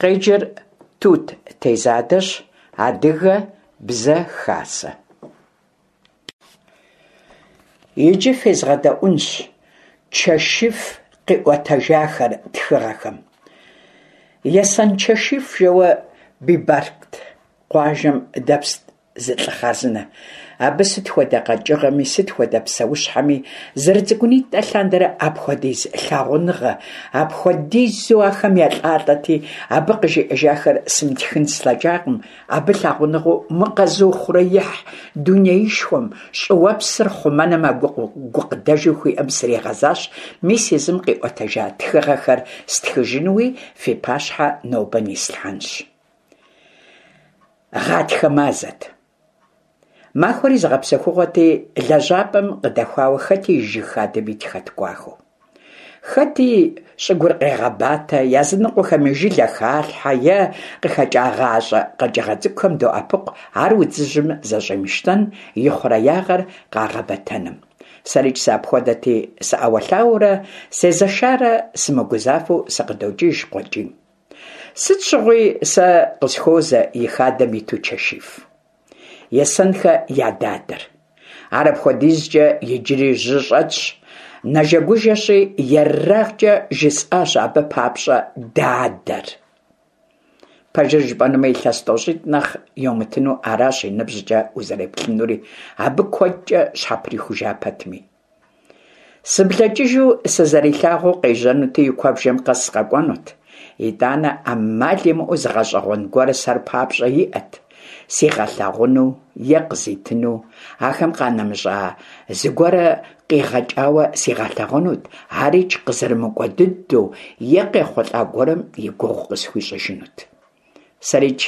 Къеджэр Тут Тезадэщ, Адыгэ бзэ хасэ. Иджы фезгъэдэӏунщ Чэшиф къиӏуэтэжахэр тхыгъэхэм. Есэн Чэшиф жэуэ Бибарт къуажэм дэпст зы лӏы хъарзынэ. Абы сыт хуэдэ къэкӏыгъэми, сыт хуэдэ псэущхьэми зэрыцӏыкӏунитӏэ лъандэрэ апхуэдиз лъагъуныгъэ, апхуэдизу ахэм елӏалӏэти, абы къыжиӏэжахэр сымытхын слъэкӏакъым, абы лъагъуныгъэу мы къэзыухъуреихь дунеишхуэм, щӏыуэпсыр хъумэным а гукъыдэжу хуиӏэм сригъэзащ, мис езым къиӏуэтэжа тхыгъэхэр стхыжынуи фи пащхьэ нобэ нислъхьэнщ. Гъатхэ мазэт. Махуэри зыгъэпсэхугъуэти, лэжьапӏэм къыдэхуауэ хэти и жыг хадэм итхэт кӏуахэу. Хэти щӏыгур къегъэбатэ, языныкъуэхэми жылэ халъхьэ е къыхэкӏагъащӏэ къэкӏыгъэ цӏыкӏухэм доӏэпыкъу ар удзыжьым зэщӏимыщтэн, и хъуреягъэр къагъэбэтэным. Сэрикӏ сыапхуэдэти, сыӏэуэлъауэурэ, сезэшарэ сымыгузавэу сыкъыдокӏыж къуэкӏийм. Сыт щыгъуи сэ къысхуозэ и хадэм иту Чэшиф. Есэнхэ я дадэр. Ар апхуэдизкӏэ иджыри жьы щӏэтщ, нэжэгужэщи, ерагъкӏэ жысӏащ абы папщӏэ дадэр. Пэжыр жыпӏэнумэ, илъэс тӏощӏитӏ нэхъ йомытыну аращ и ныбжькӏэ узэреплъынури, абы куэдкӏэ щхьэприхужа пэтми. Сыблэкӏыжу сызэрилъагъуу къежьэнути, и куэбжэм къэс къэкӏуэнут. Итӏанэ ӏэмал имыӏэу зы гъэщӏэгъуэн гуэр сэр папщӏэ иӏэт, сигъэлъагъуну е къызитыну, ахэм къанэмыщӏа зыгуэрэ къигъэкӏауэ сигъэлъагъунут, арикӏ къызэрымыкӏуэ дыдэу е къехъулӏа гуэрым и гугъу къысхуищӏыжынут. Сэрикӏ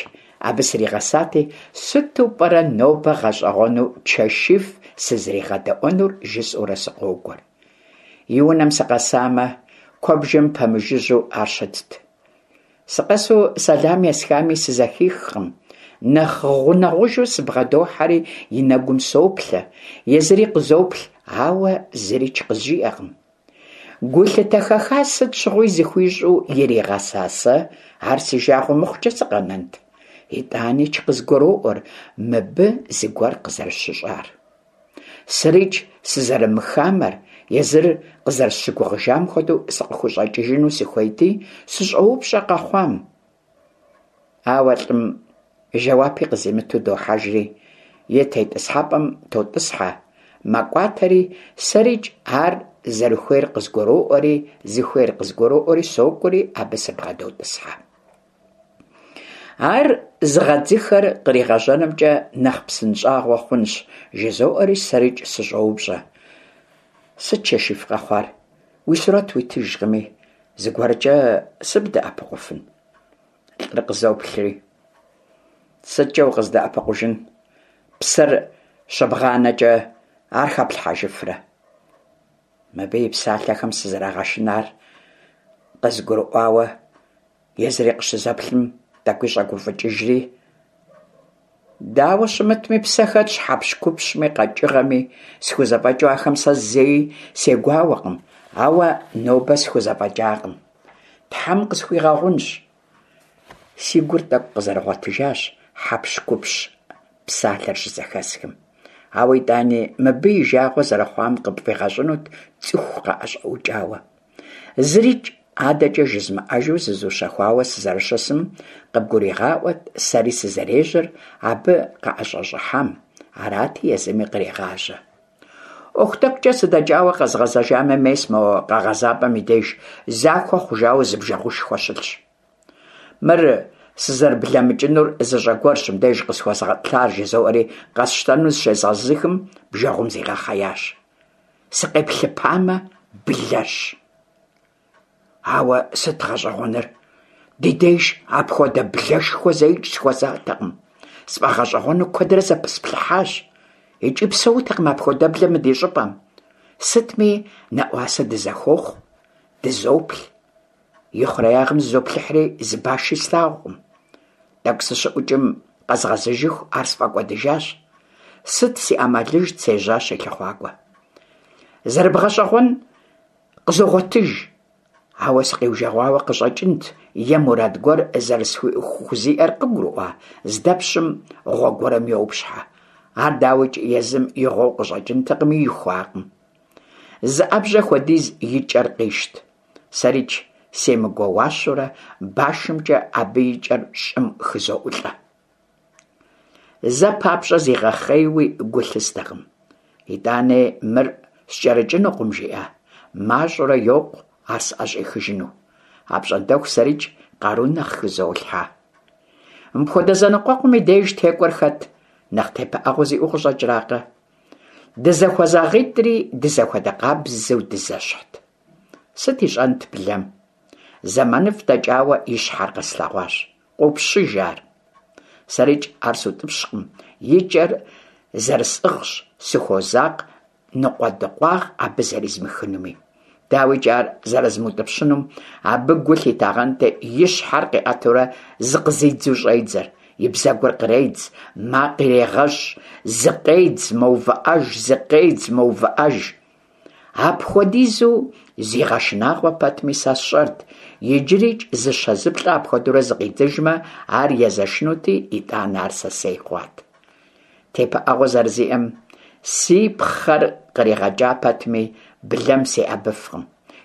абы сригъэсати, сыту пӏэрэ нобэ гъэщӏэгъуэну Чэшиф сызригъэдэӏуэнур жысӏэурэ сыкъокӏуэр. И унэм сыкъэсамэ, куэбжэм пэмыжыжьэу ар щытт. Сыкъэсу сэлам есхами сызэхихкъым. Нэхъ гъунэгъужу сыбгъэдохьэри и нэгум соплъэ, езыри къызоплъ, ауэ зырикӏ къызжиӏэкъым. Гулъытэ хэха сыт щыгъуи зыхуищӏу иригъэса сэ ар си жагъуэ мыхъукӏэ сыкъэнэнт? Итӏаникӏ къызгуроӏуэр мыбы зыгуэр къызэрыщыщӏар. Сэрикӏ сызэрымыхамэр, езыр къызэрысщыгугъыжам хуэдэу сыкъыхущӏэкӏыжыну сыхуейти, сыщӏоупщӏэ къэхъуам. Ауэ лӏым жэуапи къызимыту дохьэжри, и тетӏысхьэпӏэм тотӏысхьэ, мэкӏуатэри, сэрикӏ ар зэрыхуейр къызгуроӏуэри, зыхуейр къызгуроӏуэри сокӏуэри абы сыбгъэдотӏысхьэ. Ар зыгъэдзыхэр къригъэжьэнымкӏэ нэхъ псынщӏагъуэ хъунщ, жызоӏэри сэрикӏ сыщӏоупщӏэ. Сыт, Чэшиф, къэхъуар? Уи сурэт уитыжкъыми, зыгуэркӏэ сыбдэӏэпыкъуфын? Лӏыр къызоплъри. Сыткӏэ укъыздэӏэпыкъужын? Псэр щыбгъанэкӏэ ар хэплъхьэжыфрэ? Мыбы и псалъэхэм сызэрагъэшынар къызгурыӏуауэ, езыри къыщызэплъым тӏэкӏуи щӏэгуфӏыкӏыжри, Дауэ щымытми, псэ хэтщ хьэпщхупщми къэкӏыгъэми, схузэфӏэкӏыу ахэм сэ зэи сегуауэкъым, ауэ нобэ схузэфӏэкӏакъым. Тхьэм къысхуигъэгъунщ. Си гур тӏэкӏу къызэрыгъуэтыжащ хьэпщхупщ псалъэр щызэхэсхым. Ауэ итӏани мыбы и жагъуэ зэрыхъуам къыпфӏигъэщӏынут цӏыху къыӏэщӏэукӏауэ. Зырикӏ адэкӏэ жызмыӏэжу зызущэхуауэ сызэрыщысым къыбгуригъаӏуэт сэри сызэрежьэр абы къыӏэщӏэщӏыхьам, арати, езыми кърегъажьэ. ӏуэху тӏэкӏукӏэ сыдэкӏауэ къэзгъэзэжамэ, мес мо къэгъэзапӏэм и деж захуэ хъужауэ зы бжэгъушхуэ щылъщ. Мыр сызэрыблэмыкӏынур зыщӏэ гуэрщ мыбдеж къысхуэзгъэтӏылъар жызоӏэри къэсщтэну зыщезгъэзыхым, бжэгъум зигъэхъеящ. Сыкъеплъыпамэ, блэщ. Ауэ сыт гъэщӏэгъуэныр? Ди деж апхуэдэ блэшхуэ зэикӏ сыхуэзатэкъым. Сфӏэгъэщӏэгъуэну куэдрэ зэпысплъыхьащ. Икӏи псэутэкъым апхуэдэблэ мы ди щӏыпӏэм. Сытми, нэӏуасэ дызэхуохъу, дызоплъ. И хъуреягъым зызоплъыхьри, зы баши слъагъукъым. Тӏэкӏу сыщыӏукӏым къэзгъэзэжыху ар сфӏэкӏуэдыжащ. Сыт си ӏэмалыжт, сежьащ и лъыхъуакӏуэ. Зэрыбгъэщӏэгъуэн къызогъуэтыж. Ауэ сыкъиужэгъуауэ къыщӏэкӏынт е мурад гуэр зэрысхузиӏэр къыгурыӏуа, здэпщым гъуэ гуэрым йопщхьэ. Ар, дауикӏ, езым и гъуэу къыщӏэкӏынтэкъыми, ихуакъым. Зы ӏэбжьэ хуэдиз и кӏэр къищт. Сэрикӏ семыгуэуащэурэ башымкӏэ абы и кӏэр щӏым хызоӏулӏэ. Зэ папщӏэ зигъэхъейуи гу лъыстэкъым. Итӏани мыр скӏэрыкӏынукъым, жиӏа, мащӏэурэ йокъу ар сӏэщӏихыжыну. Апщӏондэху сэрикӏ къару нэхъ хызолъхьэ. Мыпхуэдэ зэныкъуэкъум и деж текӏуэр хэт, нэхъ тепыӏэгъуэ зиӏэу къыщӏэкӏракъэ? Дызэхуэзагъитӏри дызэхуэдэ къабзэу дызэщхьт. Сыт ищӏэнт блэм? Зэманыфӏ дэкӏауэ и щхьэр къэслъэгъуащ. Къопщыж ар. Сэрикӏ ар сутӏыпщкъым, и кӏэр зэрысӏыгъщ, сыхуозакъ ныкъуэдыкъуагъ абы зэризмыхынуми. Дауикӏ, ар зэрызмыутӏыпщынум абы гу лъитагъэнти, и щхьэр къиӏэтурэ зыкъызидзу щӏедзэр, и бзэгур къредз, макъ ирегъэщӏ, зыкъедз, мэувыӏэж, зыкъедз, мэувыӏэж. Апхуэдизу зигъэшынагъуэ пэтми, сэ сщӏэрт, иджырикӏ зыщэ-зыплӏэ апхуэдэурэ зыкъидзыжмэ, ар езэшынути, итӏанэ ар сэсей хъуат. Тепыӏэгъуэ зэрызиӏэм си пхъэр къригъэкӏа пэтми, блэм сеӏэбыфкъым.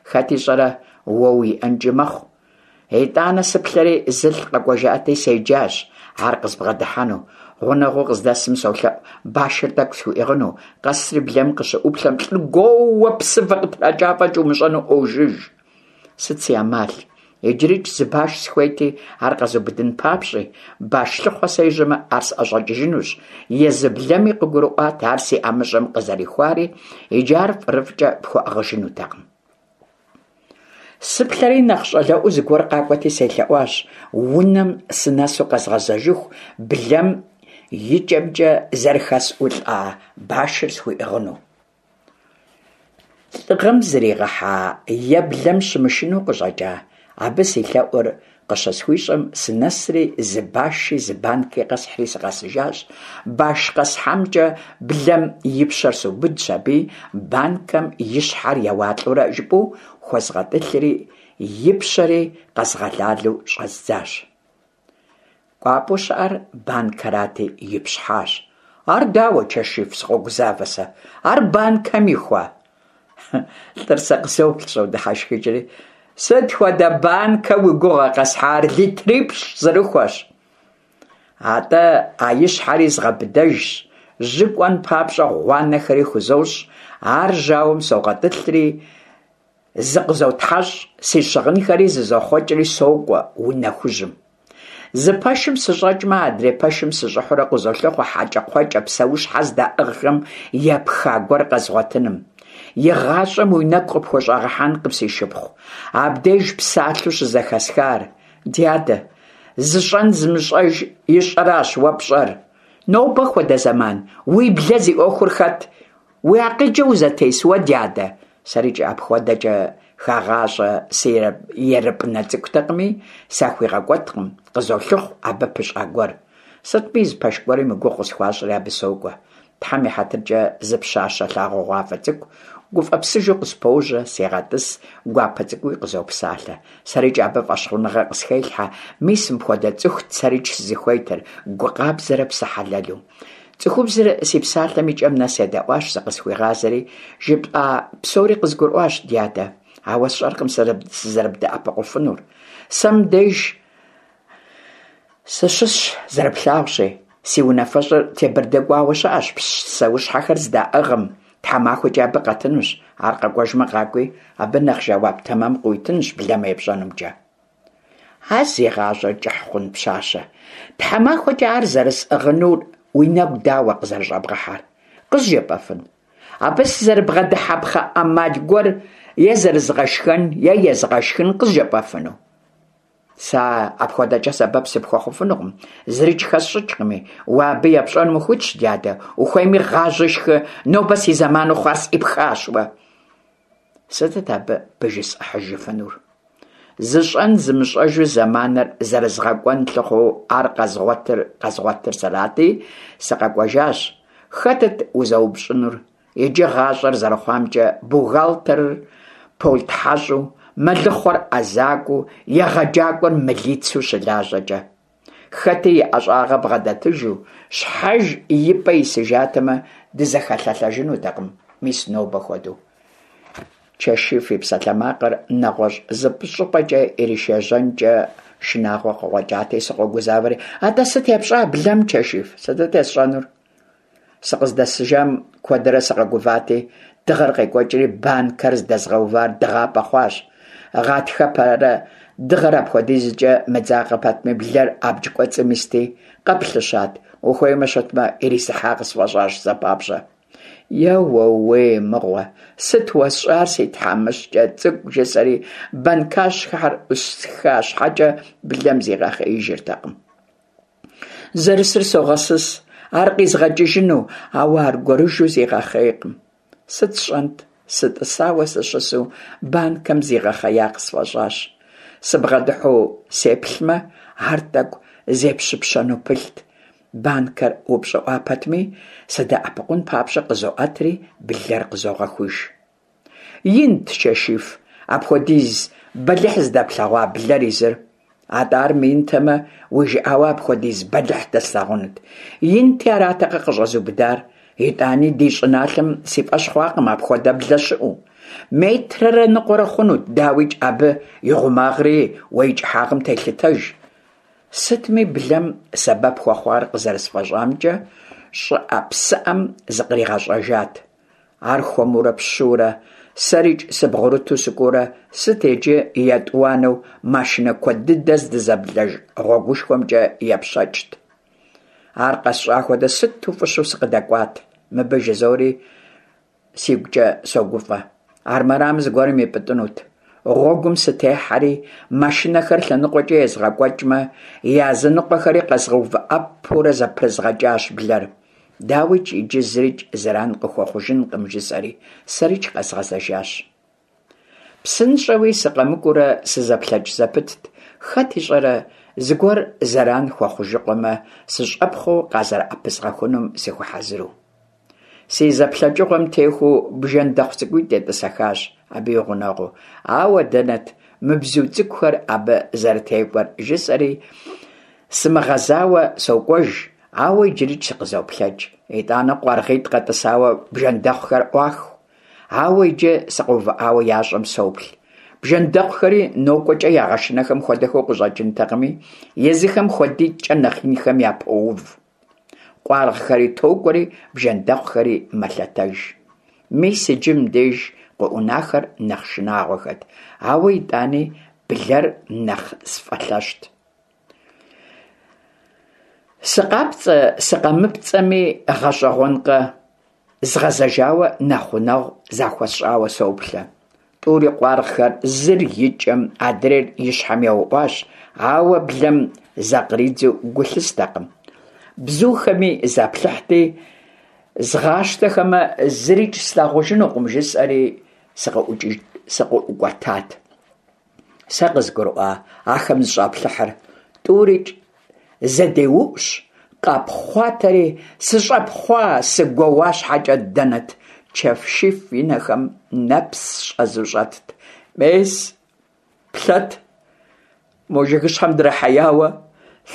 Хэт ищӏэрэ, уэ уиӏэнкӏи мэхъу. Итӏанэ сыплъэри, зылӏ къэкӏуэжати, седжащ ар къызбгъэдыхьэну. Гъунэгъуу къыздэсым солъэӏу башыр тӏэкӏу схуиӏыгъыну. Къэсри блэм къыщыӏуплъэм, лӏыр гуоууэ псывэ къытракӏа фӏэкӏ умыщӏэну ӏуожыж. Сыт си ӏэмал? Иджырикӏ зы баш сыхуейти, ар къэзубыдын папщӏи, баш лъыхъуэ сежьэмэ, ар сӏэщӏэкӏыжынущ. Езы блэми къыгурыӏуат ар си ӏэмыщӏэм къызэрихуари, иджы ар фӏырыфӏкӏэ пхуэӏыгъыжынутэкъым. Сыплъэри нэхъ щӏалэӏуэу зыгуэр къакӏуэти селъэӏуащ, унэм сынэсу къэзгъэзэжыху блэм и кӏэмкӏэ зэрыхэсӏулӏа башыр схуиӏыгъыну. Лӏыгъэм зригъэхьа е блэм щымышынэу къыщӏэкӏа, абы си лъэӏур къыщысхуищӏэм, сынэсри зы баши зы банки къэсхьри сыкъэсыжащ. Баш къэсхьамкӏэ блэм и пщэр субыдщ аби, банкэм и щхьэр еуалӏэурэ жыпӏэу хуэзгъэтӏылъри, и пщэри къэзгъэлалэу щӏэздзащ. Кӏуапӏэу щыӏэр банкэрати, ипщхьащ. Ар дауэ, Чэшиф, сыкъогузавэ сэ. Ар банкэм ихуа? Лӏыр сэ къызоплъ, щӏодыхьэшхыкӏри. Сыт хуэдэ банкэ уи гугъэ къэсхьар? Литрипщӏ зэрыхуэщ. Атӏэ, а и щхьэри згъэбыдэжщ, жьы кӏуэн папщӏэ гъуанэхэри хузощӏ, ар жьауэм согъэтӏылъри, Зыкъызотхьэщӏ, си щыгъынхэри зызохъуэкӏри сокӏуэ унэ хужьым. Зы пэшым сыщӏэкӏмэ, адрей пэшым сыщӏыхьурэ къызолъыхъуэ хьэкӏэкхъуэкӏэ псэущхьэ здаӏыгъхэм епха гуэр къэзгъуэтыным. Игъащӏэм уи нэгу къыпхущӏэгъэхьэнкъым, си шыпхъу, абдеж псалъэу щызэхэсхар. Дядэ, зыщӏэн зымыщӏэж ищӏэращ уэ пщӏэр. Нобэ хуэдэ зэман, уи блэ зи ӏуэхур хэт? Уи акъылкӏэ узэтес уэ, дядэ? Сэрикӏ апхуэдэкӏэ хагъащӏэ сыерыпӏынэ цӏыкӏутэкъыми, сахуигъэкӏуэткъым, къызолъыхъу абы пыщӏа гуэр. Сытми, зы пэш гуэрым и гугъу къысхуащӏри абы сокӏуэ. Тхьэм и хьэтыркӏэ зы пщащэ лъагъугъуафӏэ цӏыкӏу гуфӏэпсыжу къыспожьэ, сегъэтӏыс, гуапэ цӏыкӏууи къызопсалъэ. Сэрикӏ абы фӏэщхъуныгъэ къысхелъхьэ, мис мыпхуэдэ цӏыхут сэрикӏ сызыхуейтыр, гу къабзэрэ псэ хьэлэлу. Цӏыхубзыр си псалъэм и кӏэм нэс едэӏуащ, зыкъысхуигъазэри, жыпӏа псори къызгурыӏуащ, дядэ, ауэ сщӏэркъым сызэрыбдэӏэпыкъуфынур. Сэ мыбдеж сыщысщ, зэрыплъагъущи, си унафэщӏыр Тебэрды кӏуауэ щыӏэщ, псэущхьэхэр здаӏыгъым, тхьэмахуэкӏэ абы къэтынущ. Ар къэкӏуэжмэ къакӏуи, абы нэхъ жэуап тэмэм къыуитынщ блэм епщӏэнумкӏэ. А зи гъащӏэр кӏыхь хъун пщащэ, тхьэмахуэкӏэ ар зэрысӏыгъынур уи нэгу дауэ къызэрыщӏэбгъэхьэр? Къызжепӏэфын? Абы сызэрыбгъэдыхьэпхъэ ӏэмал гуэр е зэрызгъэшхэн, е езгъэшхын къызжепӏэфыну? Сэ апхуэдэкӏэ сэбэп сыпхуэхъуфынукъым, зырикӏ хэсщӏыкӏкъыми, уэ абы епщӏэным ухуитщ, дядэ, ухуейми гъажьи шхы, нобэ си зэману хъуар сӏипхащ уэ. Сытыт абы пыжысӏыхьыжыфынур? Зыщӏэн зымыщӏэжу зэманыр зэрызгъэкӏуэн лъыхъуэу ар къэзгъуэтыр къэзгъуэтыр сэрати, сыкъэкӏуэжащ. Хэтыт узэупщӏынур? Иджы гъащӏэр зэрыхъуамкӏэ бухгалтерыр полтхьэщӏу, мэлыхъуэр ӏэзакӏуэу, егъэджакӏуэр мылицэу щылажьэкӏэ? Хэти и ӏэщӏагъэ бгъэдэтыжу, щхьэж и пӏэ исыжатэмэ, дызэхэлъэлъэжынутэкъым, мис нобэ хуэдэу. Чэшиф и псалъэмакъыр нэгъуэщӏ зы щӏыпӏэкӏэ иришэжьэнкӏэ шынагъуэ къыкъуэкӏати, сыкъогузавэри, Атӏэ сыт епщӏа блэм, Чэшиф? Сытыт есщӏэнур? Сыкъыздэсыжам куэдрэ сыкъэгувати, дыгъэр къекӏуэкӏри, банкэр здэзгъэувар дыгъапӏэ хъуащ. Гъатхэпэрэ дыгъэр апхуэдизкӏэ мыдзакъэ пэтми, блэр абдж кӏуэцӏым исти, къэплъыщат, ухуеймэ щытмэ, ирисыхьа къысфӏэщӏащ зэ папщӏэ. Еуэуей мыгъуэ, сыт уэсщӏар, си тхьэмыщкӏэ цӏыкӏу, жысӏэри банкащхьэр ӏусха щхьэкӏэ блэм зигъэхъеижыртэкъым. Зэрысыр согъэсыс, ар къизгъэкӏыжыну, ауэ аргуэрыжьу зигъэхъейкъым. Сыт сщӏэнт, сытӏысауэ сыщысу банкэм зигъэхъея къысфӏэщӏащ. Сыбгъэдыхьэу сеплъмэ, ар тӏэкӏу зепщыпщэну пылът. Банкэр упщӏыӏуа пэтми, сыдэӏэпыкъун папщӏэ къызоӏэтри, блэр къызогъэхуж. Инт, Чэшиф, апхуэдиз бэлыхь зыдэплъэгъуа блэр езыр. Атӏэ ар мыинтэмэ, уи жыӏауэ апхуэдиз бэлыхь дэслъагъунут. Инти аратэкъэ къыщӏэзубыдар. Итӏани ди щӏыналъэм си фӏэщ хъуакъым апхуэдэ блэ щыӏэу. Метрэрэ ныкъуэрэ хъунут, дауикӏ, абы и гъумагъри уэ и кӏыхьагъым телъытэж. Сытми блэм сэбэп хуэхъуар къызэрысфӏэщӏамкӏэ, щӏыӏэ-псыӏэм зыкъригъэщӏэжат. Ар хуэмурэ пщыурэ, сэрикӏ сыбгъурыту сыкӏуэурэ, сыт иджы етӏуанэу машинэ куэд дыдэ здызэблэж гъуэгушхуэмкӏэ епщэкӏт. Ар къэсщӏа хуэдэ сыту фӏыщэу сыкъыдэкӏуат мыбы жызори сигукӏэ согуфӏэ. Армырам зыгуэрым ипӏытӏынут. Гъуэгум сытехьэри, машинэхэр лъэныкъуэкӏэ езгъэкӏуэкӏмэ, языныкъуэхэри къэзгъэувыӏэпурэ зэпрызгъэкӏащ блэр. Дауикӏ, иджы зырикӏ зэран къыхуэхъужынкъым, жысӏэри, сэрикӏ къэзгъэзэжащ. Псынщӏэуи сыкъэмыкӏуурэ сызэплъэкӏ зэпытт, хэт ищӏэрэ, зыгуэр зэран хуэхъужыкъуэмэ, сыщӏэпхъуэу къазэрыӏэпызгъэхунум сыхуэхьэзыру. Си зэплъэкӏыгъуэм техуэу бжэндэхъу цӏыкӏуитӏ етӏысэхащ абы и гъунэгъуу. Ауэ дэнэт мы бзу цӏыкӏухэр абы зэрытекӏуэр, жысӏэри, сымыгъэзауэ сокӏуэж, ауэ иджырикӏ сыкъызоплъэкӏ. Итӏанэ къуаргъитӏ къэтӏысауэ бжэндэхъухэр ӏуаху. Ауэ иджы сыкъэувыӏауэ ящӏэм соплъ. Бжэндэхъухэри нокӏуэкӏэ ягъэшынэхэм хуэдэхэу къыщӏэкӏынтэкъыми, езыхэм хуэдитӏкӏэ нэхъ инхэм япоув. Къуаргъхэри токӏуэри, бжэндэхъухэри мэлъэтэж. Мис иджы мыбдеж къыӏунахэр нэхъ шынагъуэхэт, ауэ итӏани блэр нэхъ сфӏэлъэщт. Сыкъапцӏэ-сыкъэмыпцӏэми, гъэщӏэгъуэнкъэ, згъэзэжауэ нэхъ гъунэгъу захуэсщӏауэ соплъэ. Тӏури къуаргъхэр зыр и кӏэм, адрейр и щхьэм еуӏуащ, ауэ блэм закъридзу гу лъыстэкъым. Бзухэми заплъыхьти, згъащтэхэмэ, зырикӏ слъагъужынукъым, жысӏэри сыкъыӏукӏуэтат. Сэ къызгурыӏуа ахэм зыщӏаплъыхьыр? Тӏурикӏ зэдеуӏущ, къапхъуатэри, сыщӏэпхъуа, сыгуэуа щхьэкӏэ дэнэт, Чэшиф и нэхэм нэпс щӏэзу щӏэтт. Мес, плъэт, мо жыгыщхьэм драхьеяуэ,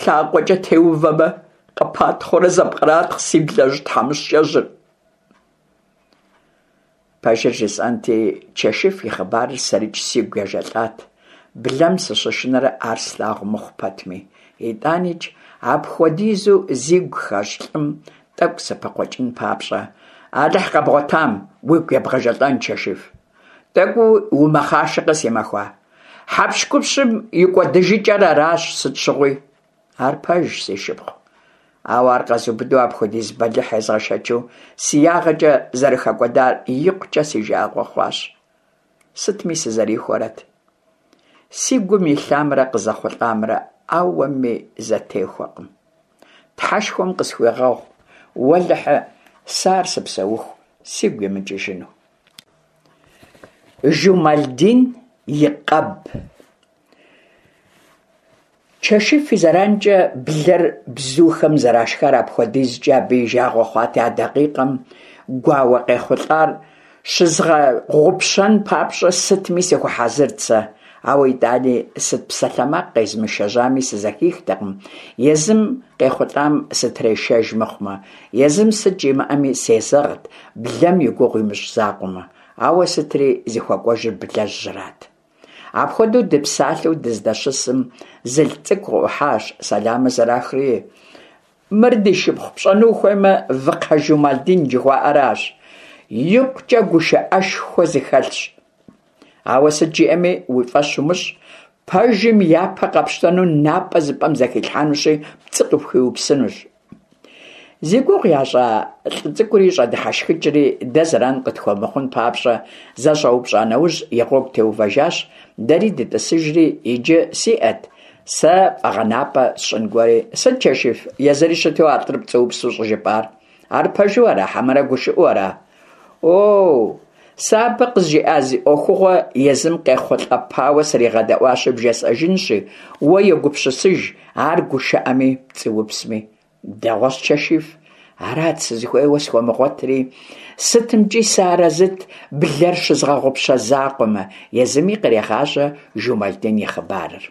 лъакъуэкӏэ теувэмэ, къыпатхъуурэ зэпкъратхъ си блэжь тхьэмыщкӏэжьыр. Пэжыр жысӏэнти, Чэшиф и хъыбарыр сэрикӏ сигу ежэлӏат, блэм сыщышынэрэ ар слъагъу мыхъу пэтми. Итӏаникӏ, апхуэдизу зигу хэщӏ лӏым тӏэкӏу сыпыкъуэкӏын папщӏэ, Алыхь къэбгъуэтам, уигу ебгъэжэлӏэн, Чэшиф. Тӏэкӏу умэхъашэкъэ, си махуа. Хьэпщхупщым и кӏуэдыжыкӏэр аращ сыт щыгъуи. Ар пэжщ, си шыпхъу. Ауэ ар къэзубыду апхуэдиз бэлыхь езгъэшэчу си ягъэкӏэ зэрыхэкӏуэдар икъукӏэ си жагъуэ хъуащ. Сытми сызэрихуэрэт. Си гум илъамрэ къызэхъулӏамрэ ауэми зэтехуэкъым. Тхьэшхуэм къысхуигъэгъу, уэлэхьы, сэ ар сыпсэуху сигу имыкӏыжыну. Жумалдин и къэб. Чэшиф и зэранкӏэ блэр бзухэм зэрашхар апхуэдизкӏэ абы и жагъуэ хъуати, а дакъикъэм гуауэ къехъулӏар. Щызгъэгъупщэн папщӏэ сытми сыхуэхьэзырт сэ, ауэ итӏани сыт псалъэмакъ къезмышэжьами сызэхихтэкъым, езым къехъулӏам сытрешэж мыхъумэ. Езым сыт жимыӏэми сезэгът, блэм и гугъу имыщӏ закъуэмэ. Ауэ сытри зыхуэкӏуэжыр блэжьрат. Апхуэдэу дыпсалъэу дыздэщысым, зылӏ цӏыкӏу къыӏухьащ, сэламыр зэрахри, Мыр ди шыпхъу пщӏэну ухуеймэ, Выкхъэ Жумалдин жыхуаӏэращ. Икъукӏэ гушыӏэшхуэ зыхэлъщ. Ауэ сыт жиӏэми уи фӏэщ умыщӏ, пэжым япэ къэпщтэну напӏэ зыпӏэм зэхилъхьэнущи, пцӏы къыпхуиупсынущ. Зи гугъу ящӏа лӏы цӏыкӏури щӏэдыхьэшхыкӏри, дэ зэран къытхуэмыхъун папщӏэ, зэщӏэупщӏа нэужь и гъуэгу теувэжащ, дэри дытӏысыжри, иджы сиӏэт сэ фӏэгъэнапӏэ сщӏын гуэри. Сыт, Чэшиф, езыри щыту а лӏыр пцӏыупсу щӏыжыпӏар? Ар пэжу ара, хьэмэрэ гушыӏэу ара? Оу, сэ абы къызжиӏа зы ӏуэхугъуэ езым къехъулӏэпауэ сригъэдэӏуащи бжесӏэжынщи, уэ егупсысыж ар гушыӏэми пцӏыупсми. Дэгъуэщ, Чэшиф, арат сызыхуейуэ схуэмыгъуэтри, сытымкӏи сыарэзыт блэр щызгъэгъупщэ закъуэмэ, езыми кърегъажьэ Жумалдин и хъыбарыр.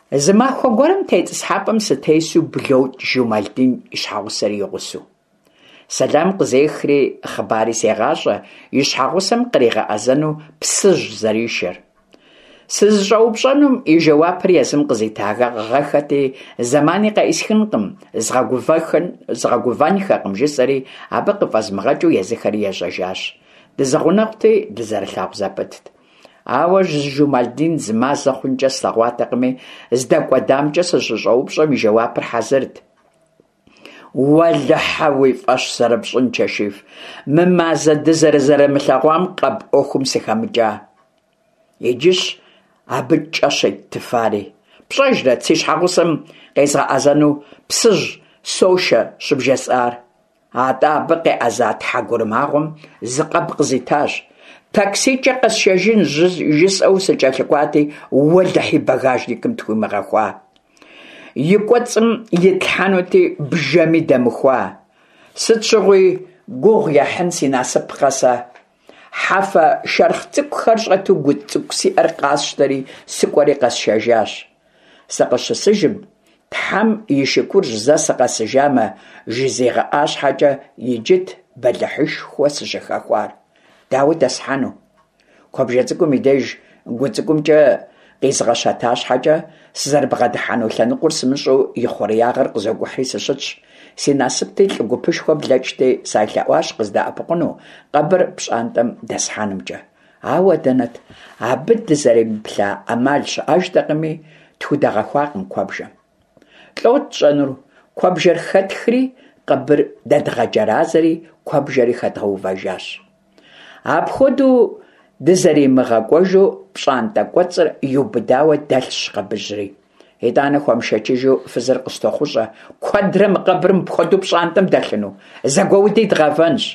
Зы махуэ гуэрым тетӏысхьэпӏэм сытесу блокӏ Жумалдин и щхьэгъусэр и гъусэу. Сэлам къызехри, хъыбари сегъащӏэ и щхьэгъусэм къригъэӏэзэну Псыжь зэришэр. Сызыщӏэупщӏэнум и жэуапыр езым къызитагъэххэти, зэмани къеӏысхынкъым, згъэгувэнхэкъым жысӏэри, абы къыфӏэзмыгъэкӏыу езыхэри ежьэжащ. Дызэгъунэгъути, дызэрылъагъу зэпытт. Ауэ Жумалдин зы мазэ хъункӏэ слъэгъуатэкъыми, здэкӏуэдамкӏэ сыщыщӏэупщӏэм и жэуапыр хьэзырт. Уэлэхьэ, уи фӏэщ зэрыпщӏын, Чэшиф, мы мазэ дызэрызэрымылъэгъуам къэб ӏуэхум сыхэмыкӏа. Иджыщ абы кӏэ щеттыфари. Пщӏэжрэт си щхьэгъусэм къезгъэӏэзэну Псыжь сошэ щыбжесӏар? Атӏэ абы къеӏэза тхьэгурымагъуэм зы къэб къызитащ. Таксикӏэ къэсшэжын жысӏэу сыкӏэлъыкӏуати, уэлэхьи, багажникым тхуимыгъэхуа. И кӏуэцӏым итлъхьэнути, бжэми дэмыхуа. Сыт щыгъуи гугъу ехьын си насыпкъэ сэ. Хьэфэ шэрхъ цӏыкӏухэр щӏэту гу цӏыкӏу сиӏэр къасщтэри, сыкӏуэри къэсшэжащ. Сыкъыщысыжым, Тхьэм и шыкурщ зэ сыкъэсыжамэ, жызигъэӏа щхьэкӏэ, иджыт бэлыхьышхуэ сыщыхэхуар. Дауэ дэсхьэну? Куэбжэ цӏыкӏум и деж гу цӏыкӏумкӏэ къизгъэщэта щхьэкӏэ, сызэрыбгъэдыхьэну лъэныкъуэр сымыщӏэу и хъуреягъыр къызокӏухьри сыщытщ. Си насыпти, лӏы гупышхуэ блэкӏти, салъэӏуащ къыздэӏэпыкъуну, къэбыр пщӏантӏэм дэсхьэнымкӏэ. Ауэ дэнэт, абы дызэремыплъа ӏэмал щыӏэжтэкъыми, тхудэгъэхуакъым куэбжэм. Лӏот тщӏэнур, куэбжэр хэтхри, къэбыр дэдгъэджэразэри, куэбжэри хэдгъэувэжащ. Апхуэдэу дызэримыгъэкӏуэжу пщӏантӏэ кӏуэцӏыр иубыдауэ дэлъщ къэбыжьри. Итӏанэ хуэмышэчыжу фызыр къыстохъущӏэ, куэдрэ мы къэбыр мыпхуэдэу пщӏантӏэм дэлъыну, зэгуэуди дгъэвэнщ.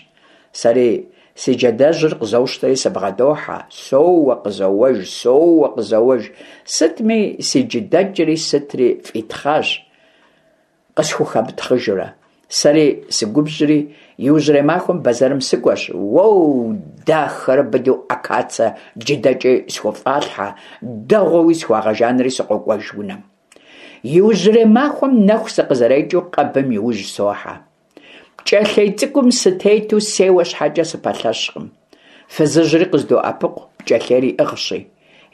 Сэри си джэдэжьыр къызощтэри сыбгъэдохьэ, соуэ, къызоуэж, соуэ, къызоуэж. Сытми, си джыдэкӏри сытри фӏитхъащ, къысхухэмытхъыжурэ. Сэри сыгубжьри, иужьрей махуэм бэзэрым сыкӏуэщ, уоу, дахэрэ быдэу акацэ джыдэкӏи схуфӏалъхьэ, дэгъуэуи схуагъэжанри сыкъокӏуэж унэм. Иужьрей махуэм нэху сыкъызэрекӏыу къэбым и ужь сохьэ. Пкӏэлъей цӏыкӏум сытету сеуэ щхьэкӏэ сыпэлъэщкъым. Фызыжьри къыздоӏэпыкъу, пкӏэлъейр иӏыгъщи.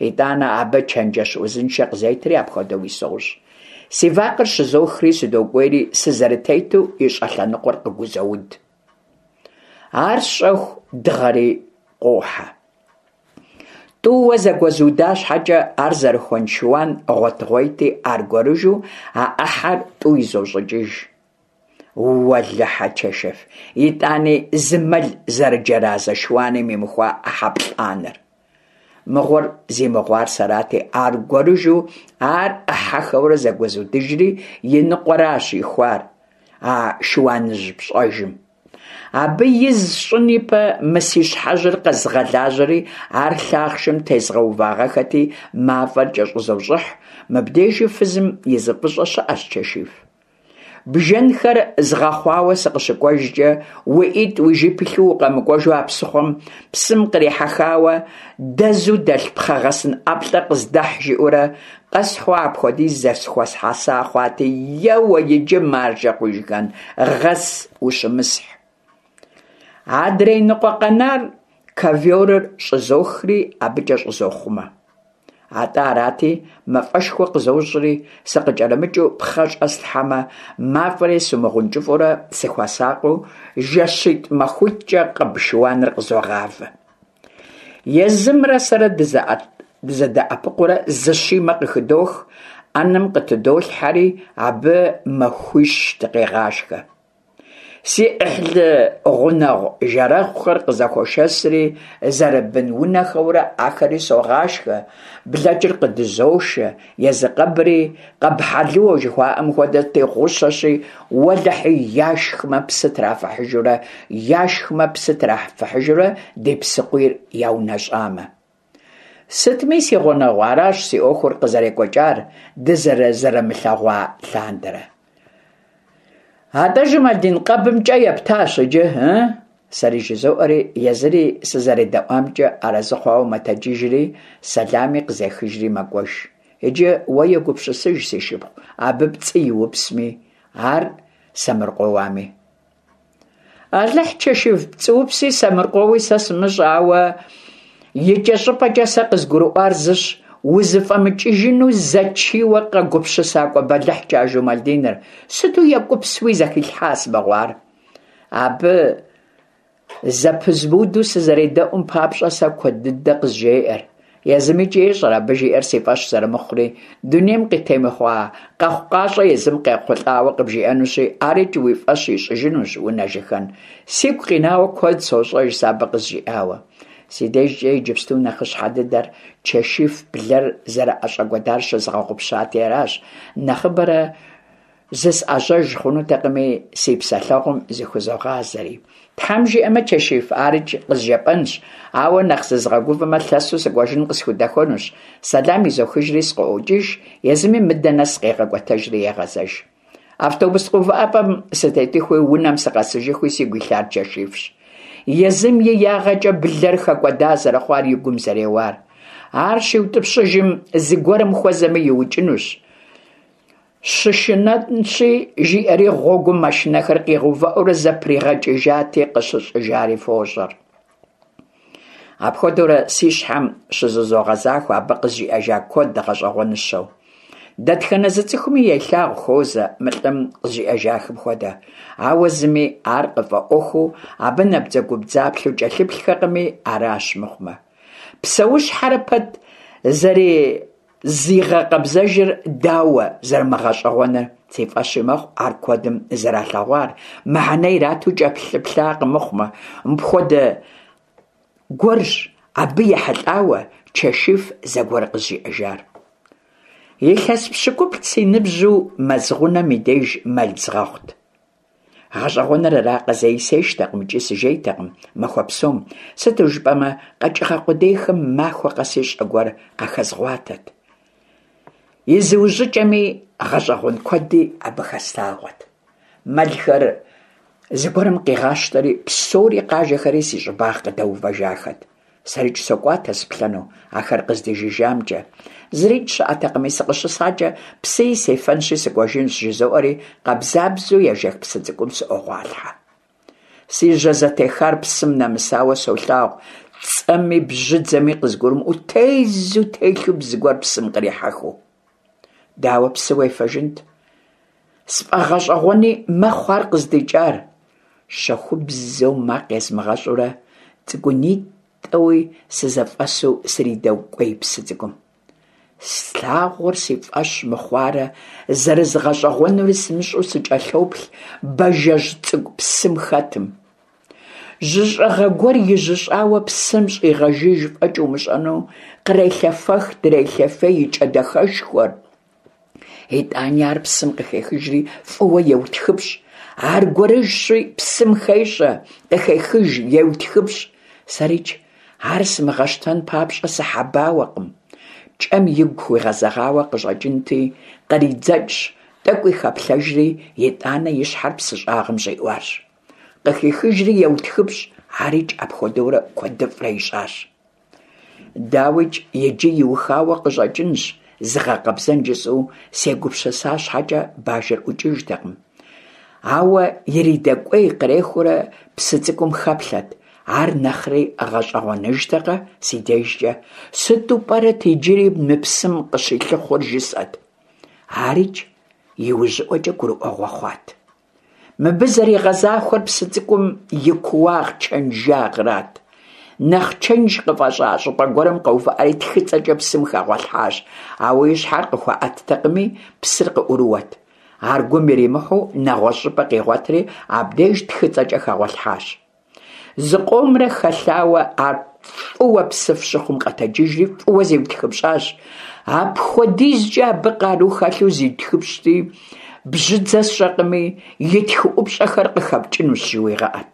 Итӏанэ абы чэнджэщ узыншэ къызетри апхуэдэуи сощӏ. Си вакъэр щызохри сыдокӏуейри сызэрытету и щӏэлъэныкъуэр къыгузоуд. Ар сщӏэху дыгъэри къуохьэ. Тӏууэ зэгуэзуда щхьэкӏэ ар зэрыхуэн шыуан гъуэтыгъуейти, аргуэрыжу а ӏыхьэр тӏу изощӏыкӏыж. Уэлэхьэ, Чэшэф, итӏани зы мэл зэрыджэразэ шыуаным имыхуа ӏыхьэ плӏанэр. Мыгъуэр зи мыгъуар сэрати, аргуэрыжу ар ӏыхьэхэурэ зэгуэзудыжри, и ныкъуэращ ихуар а шыуаныжь пщӏэжым. Абы из сщӏын ипэ мы си щхьэжьыр къэзгъэлажьэри, ар лъахъшым тезгъэувагъэхэти, мафӏэр кӏэщӏызощӏыхь. Мыбдежи фызым и зы фӏыщӏэ щыӏэщ, Чэшиф. Бжэнхэр згъэхъуауэ сыкъыщыкӏуэжкӏэ, уи ӏитӏ уи жып илъу укъэмыкӏуэжу а псыхъуэм псым кърихьэхауэ дэзу дэлъ пхъэгъэсын ӏэплӏэ къыздэхь жиӏэурэ къэсхьу апхуэдиз зэхуэсхьэса хъуати, еуэ иджы, маржэ хъужыхэн, гъэс, ущымысхь. Адрей ныкъуэ къэнар ковёрыр щӏызохри абыкӏэ щӏызохъумэ. Атӏэ арати, мафӏэшхуэ къызощӏри, сыкъыкӏэрымыкӏыу пхъэ щӏэслъхьэмэ, мафӏэри сымыгъэункӏыфӏурэ сыхуэсакъыу жэщитӏ-махуитӏкӏэ къэб шыуаныр къызогъавэ. Езымрэ сэрэ дызэдэӏэпыкъуурэ зы щимэ къыхыдох, ӏэнэм къытыдолъхьэри, абы махуищ дыкъегъашхэ. Си ӏыхьлы гъунэгъу жэрэгъухэр къызэхуошэсри, зэрыбын унэхэурэ ахэри согъашхэ, блэкӏыр къыдызошэ, езы къэбри къэб хьэлыуэ жыхуаӏэм хуэдэти гъущэщи, уэлэхьи, яшхмэ псы трафыхьыжурэ, яшхмэ псы трафыхьыжурэ ди псыкъуийр яунэщӏамэ. Сытми, си гъунэгъу, аращ си ӏуэхур къызэрекӏуэкӏар дызэрызэрымылъэгъуа лъандэрэ. Атӏэ, Жумалдин, къэбым кӏэ ептащ иджы, ы? Сэри жызоӏэри, езыри сызэредэӏуамкӏэ арэзы хъуауэ мэтэджыжри, сэлами къызехыжри мэкӏуэж. Иджы уэ егупсысыж, си шыпхъу, абы пцӏы иупсми, ар сэмыркъуэуами. Алыхь, Чэшиф, пцӏыупси сэмыркъуэуи сэ сымыщӏэ, ауэ икӏэщӏыпӏэкӏэ сэ къызгурыӏуар зыщ, узыфӏэмыкӏыжыну зэчийуэ къэгупсысакӏуэ бэлыхькӏэ а Жумалдиныр, сыту екӏупсуи зэхилъхьа мыгъуэ ар. Абы зэпызмыуду сызэредэӏум папщӏэ сэ куэд дыдэ къызжеӏэр. Езымикӏи ещӏэр абы жиӏэр си фӏэщ зэрымыхъури, дунейм къытемыхъуа къэхъукъащӏэ езым къехъулӏауэ къыбжиӏэнущи, арикӏ уи фӏэщ ищӏыжынущ, унэжыхэн. Сигу къинауэ куэд сощӏэж сэ абы къызжиӏауэ. Си дежкӏэ иджыпсту нэхъыщхьэ дыдэр Чэшиф блэр зэрыӏэщӏэкӏуэдар щызгъэгъупщати аращ, нэхъыбэрэ Зысӏэжьэж хъунутэкъыми, си псэлъэгъум зыхузогъазэри. Тхьэм жиӏэмэ, Чэшиф, арикӏ къызжепӏэнщ, ауэ нэхъ зызгъэгувэмэ, лъэсу сыкӏуэжын къысхудэхуэнущ. Сэлам изохыжри сыкъыӏуокӏыж, езыми мыдэ нэс къегъэкӏуэтэжри егъэзэж. Автобус къувыӏэпӏэм сытетыхуи, унэм сыкъэсыжыхуи сигу илъар Чэшифщ. Езым и ягъэкӏэ блэр хэкӏуэда зэрыхъуар и гум зэреуар. Ар щиутӏыпщыжым, зыгуэрым хуэзэмэ иукӏынущ. Щышынэнщи, жиӏэри гъуэгум машинэхэр къигъэувыӏэурэ зэпригъэкӏыжати, къыщыщӏыжари фощӏэр. Апхуэдэурэ си щхьэм щызызогъэзахуэ абы къызжиӏэжа куэд гъэщӏэгъуэныщэу. Дэтхэнэ зы цӏыхуми елъагъу хуозэ мы лӏым къызжиӏэжахэм хуэдэ, ауэ зыми ар къыфӏэӏуэхуу абы набдзэгубдзаплъэу кӏэлъыплъхэкъыми аращ мыхъумэ. Псэущхьэрэ пэт зэрызигъэкъэбзэжыр дауэ зэрымыгъэщӏэгъуэныр? Си фӏэщи мэхъу ар куэдым зэралъэгъуар, мыхьэнэ ирату кӏэлъыплъакъым мыхъумэ. Мыпхуэдэ гуэрщ абы ехьэлӏауэ Чэшиф зэгуэр къызжиӏэжар. Илъэс пщыкӏуплӏ си ныбжьу мэз гъунэм и деж мэл згъэхъут. Гъэщӏэгъуэныр аракъэ, зэи сештэкъым икӏи сыжейтэкъым махуэ псом, сыту жыпӏэмэ къэкӏыгъэ къудейхэм махуэ къэси щӏэ гуэр къахэзгъуатэт. И зыужьыкӏэми гъэщӏэгъуэн куэди абы хэслъагъуэт. Мэлхэр зыгуэрым къигъащтэри, псори къажэхэри си щӏыбагъ къыдэувэжахэт. Сэрикӏ сокӏуатэ сыплъэну ахэр къыздижыжамкӏэ. Зырикӏ щыӏэтэкъыми, сыкъыщысакӏэ псыи сефэнщи сыкӏуэжынщ, жызоӏэри къабзабзэу ежэх псы цӏыкӏум сыӏуогъуалъхьэ. Си жьэ зэтехар псым нэмысауэ солъагъу, цӏэми бжьыдзэми къызгурымыӏуэу тезу телъу зыгуэр псым кърихьэхыу. Дауэ псы уефэжынт? Сфӏэгъэщӏэгъуэни мэхъу ар къыздикӏар. Щэхубзэу макъ езмыгъэщӏурэ, цӏыкӏунитӏэуи сызэфӏэсу сридэкӏуей псы цӏыкӏум. Слъагъур си фӏэщ мыхъуарэ зэрызгъэщӏэгъуэнури сымыщӏэу сыкӏэлъоплъ бажэжь цӏыкӏу псым хэтым. Жьыщӏыгъэ гуэр ижьыщӏауэ псым щӏигъэжыж фӏэкӏ умыщӏэну кърелъэфэх, дрелъэфей и кӏэ дахэшхуэр. Итӏани ар псым къыхехыжри фӏыуэ еутхыпщӏ. Аргуэрыжьщи, псым хещӏэ, къыхехыж, еутхыпщӏ. Сэрикӏ ар сымыгъэщтэн папщӏэ сыхьэбауэкъым. Кӏэм игу хуигъэзэгъауэ къыщӏэкӏынти, къридзэкӏщ. Тӏэкӏуи хэплъэжри, итӏанэ и щхьэр псы щӏагъым щӏиӏуащ. Къыхихыжри еутхыпщӏ, арикӏ апхуэдэурэ куэдыфӏрэ ищӏащ. Дауикӏ, иджы иухауэ къыщӏэкӏынщ зыгъэкъэбзэн жысӏэу сегупсыса щхьэкӏэ, бажэр ӏукӏыжтэкъым. Ауэ иридэкӏуей-кърехыурэ псы цӏыкӏум хэплъэт, ар нэхъри гъэщӏэгъуэныжтэкъэ си дежкӏэ, сыту пӏэрэт иджыри мы псым къыщилъыхъуэр жысӏэт. Арикӏ иужьыӏуэкӏэ гурыӏуэгъуэ хъуат. Мыбы зэригъэзахуэр псы цӏыкӏум и кууагъ чэнжагърат. Нэхъ чэнж къыфӏэщӏа щӏыпӏэ гуэрым къэувыӏэри тхыцӏэкӏэ псым хэгъуэлъхьащ, ауэ и щхьэр къыхуэӏэттэкъыми, псыр къыӏурыуэт. Ар гум иримыхьу нэгъуэщӏ щӏыпӏэ къигъуэтри, абдеж тхыцӏэкӏэ хэгъуэлъхьащ. Зыкъомрэ хэлъауэ ар фӏыуэ псыф щыхъум къэтэджыжри фӏыуэ зиутхыпщӏащ. Апхуэдизкӏэ абы къару хэлъу зиутхыпщӏти, бжьыдзэ сщӏэкъыми, и тхыӏупщӏэхэр къыхэпкӏынущ жыуигъэӏэт.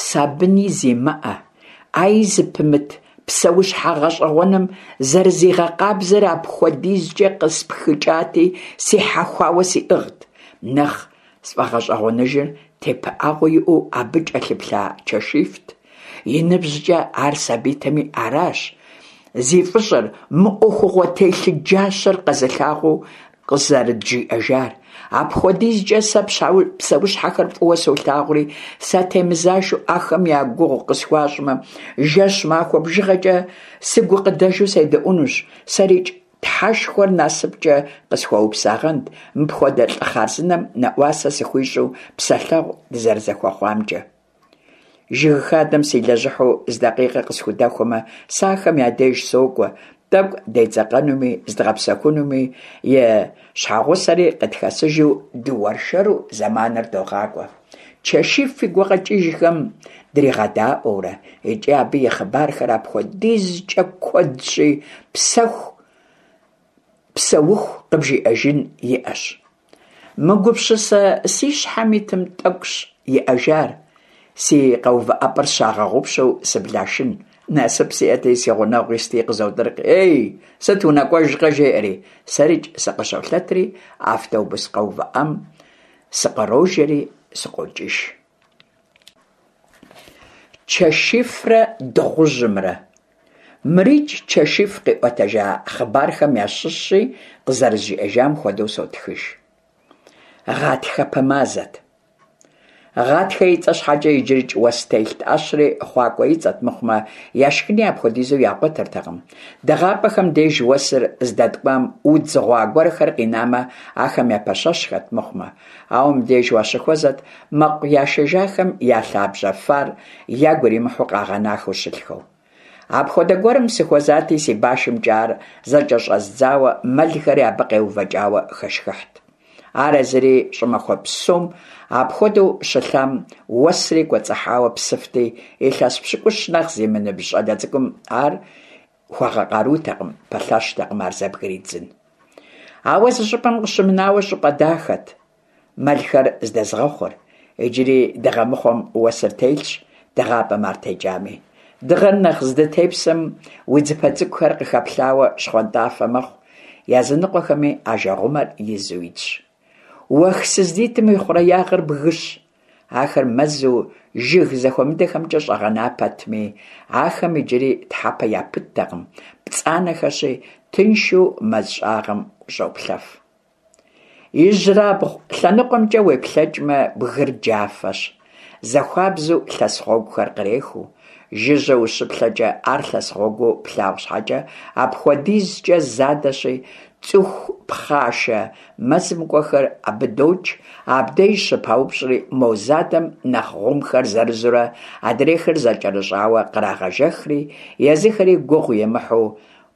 Сабыни зимыӏэ, ӏэи зыпымыт псэущхьэ гъэщӏэгъуэным зэрызигъэкъабзэр апхуэдизкӏэ къыспхыкӏати, сихьэхуауэ сиӏыгът. Нэхъ Сфӏэгъэщӏэгъуэныжыр тепыӏэгъуэ иӏэу абы кӏэлъыплъа Чэшифт. И ныбжькӏэ ар сабийтэми аращ зи фӏыщӏэр мы ӏуэхугъуэ телъыджащэр къэзылъагъуу къызэрыджиӏэжар. Апхуэдизкӏэ сэ псэущхьэхэр фӏыуэ солъагъури, сатемызашэу ахэм я гугъу къысхуащӏмэ, жэщ-махуэ бжыгъэкӏэ сыгукъыдэжу седэӏунущ. Сэрикӏ Тхьэшхуэр насыпкӏэ къысхуэупсагъэнт мыпхуэдэ лӏы хъарзынэм нэӏуасэ сыхуищӏу псэлъэгъу дызэрызэхуэхъуамкӏэ. Жыг хадэм силэжьыхьу зы дакъикъэ къысхудэхуэмэ, сэ ахэм я деж сокӏуэ, тӏэкӏу дедзэкъэнуми, зыдгъэпсэхунуми, и щхьэгъусэри къытхэсыжу дыуэршэру зэманыр догъакӏуэ. Чэшиф и гукъэкӏыжхэм дригъэдаӏуэурэ, икӏи абы и хъыбархэр апхуэдизкӏэ куэдщи, псэху, псэуху къыбжиӏэжын иӏэщ. Мы гупсысэ си щхьэм итым тӏэкӏущ иӏэжар, си къэувыӏэпӏэр сщагъэгъупщэу сыблашын. Насып сиӏэти, си гъунэгъу исти къызотӏыркъ, Ей, сыт унэкӏуэжкъэ, жеӏэри. Сэрикӏ сыкъыщолъэтри, автобус къэувыӏэм Сыкърожэри сыкъокӏыж. Чэшифрэ дыгъужьымрэ. Мырикӏ Чэшиф къиӏуэтэжа хъыбархэм ящыщщи, къызэрызжиӏэжам хуэдэу сотхыж. Гъатхэпэ мазэт. Гъатхэ и цӏэ щхьэкӏэ иджырикӏ уэс телът, ӏэщри хъуакӏуэ и цӏэт мыхъумэ, яшхыни апхуэдизу ягъуэтыртэкъым. Дыгъапӏэхэм деж уэсыр здэткӏуам удз гъуа гуэрхэр къинамэ, ахэм япэщэщхэт мыхъумэ. Ауэ мыбдеж уащыхуэзэт мэкъу яшэжахэм я лъабжьэ фар ягу иримыхьу къагъэнахэу щылъхэу. Апхуэдэ гуэрым сыхуэзати, си башымкӏэ ар зэкӏэщӏэздзауэ, мэлхэри абы къеувэкӏауэ хэшхыхьт. Ар езыри щӏымахуэ псом апхуэдэу щылъам уэсри кӏуэцӏыхьауэ псыфти, илъэс пщыкӏущ нэхъ зимыныбжь щӏалэ цӏыкӏум ар хуэгъэкъарутэкъым, пэлъэщтэкъым ар зэбгридзын. Ауэ зы щӏыпӏэм къыщымынауэ щӏыпӏэ дахэт мэлхэр здэзгъэхъур. Иджыри дыгъэмыхъуэм уэсыр телъщ, дыгъапӏэм ар текӏами. Дыгъэр нэхъ здытепсэм удзыпэ цӏыкӏухэр къыхэплъауэ щхъуантӏафэ мэхъу, языныкъуэхэми ажэгъумэр изу итщ. Уэх сыздитым и хъуреягъыр бгыщ. Ахэр мэзу жыг зэхуэмыдэхэмкӏэ щӏэгъэна пэтми, ахэм иджыри тхьэпэ япыттэкъым, пцӏанэхэщи, тыншу мэз щӏагъым ущӏоплъэф. Ижьрабгъу лъэныкъуэмкӏэ уеплъэкӏмэ, бгыр джафэщ, зэхуабзу лъэс гъуэгухэр кърехыу. Жыжьэ ущыплъэкӏэ ар лъэс гъуэгуу плъагъу щхьэкӏэ, апхуэдизкӏэ задэщи, цӏыху пхъашэ мэзым кӏуэхэр абы докӏ, абдеж щыпаупщӏри, мо задэм нэхъ гъумхэр зырызурэ, адрейхэр зэкӏэрыщӏауэ кърагъэжэхри, езыхэри гугъу емыхьу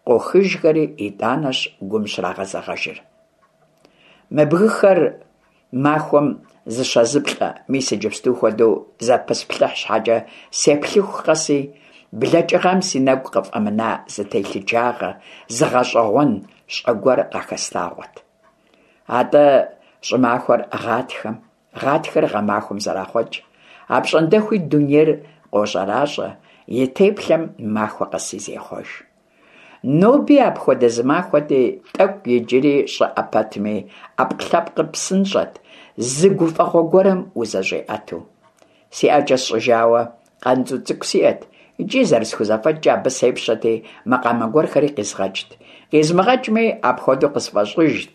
къохыжхэри, итӏанэщ гум щрагъэзэгъэжыр. Мы бгыхэр махуэм зыщэ-зыплӏэ, мис иджыпсту хуэдэу зэпысплъыхь щхьэкӏэ, сеплъыху къэси, блэкӏыгъэм си нэгу къыфӏэмына зы телъыджагъэ, зы гъэщӏэгъуэн щӏэ гуэр къахэслъагъуэт. Атӏэ щӏымахуэр гъатхэм, гъатхэр гъэмахуэм зэрахъуэкӏ. Апщӏондэхуи дунейр къощӏэращӏэ, и теплъэм махуэ къэси зехъуэж. Ноби апхуэдэ зы махуэти, тӏэкӏу иджыри щӏыӏэ пэтми, ӏэпкълъэпкъыр псынщӏэт, зы гуфӏэгъуэ гуэрым узэщӏиӏэтэу. Си ӏэкӏэ сщӏыжауэ къанцӏу цӏыкӏу сиӏэт икӏи зэрысхузэфӏэкӏкӏэ абы сепщэти, макъамэ гуэрхэри къизгъэкӏт. Къизмыгъэкӏми, апхуэдэу къысфӏэщӏыжт.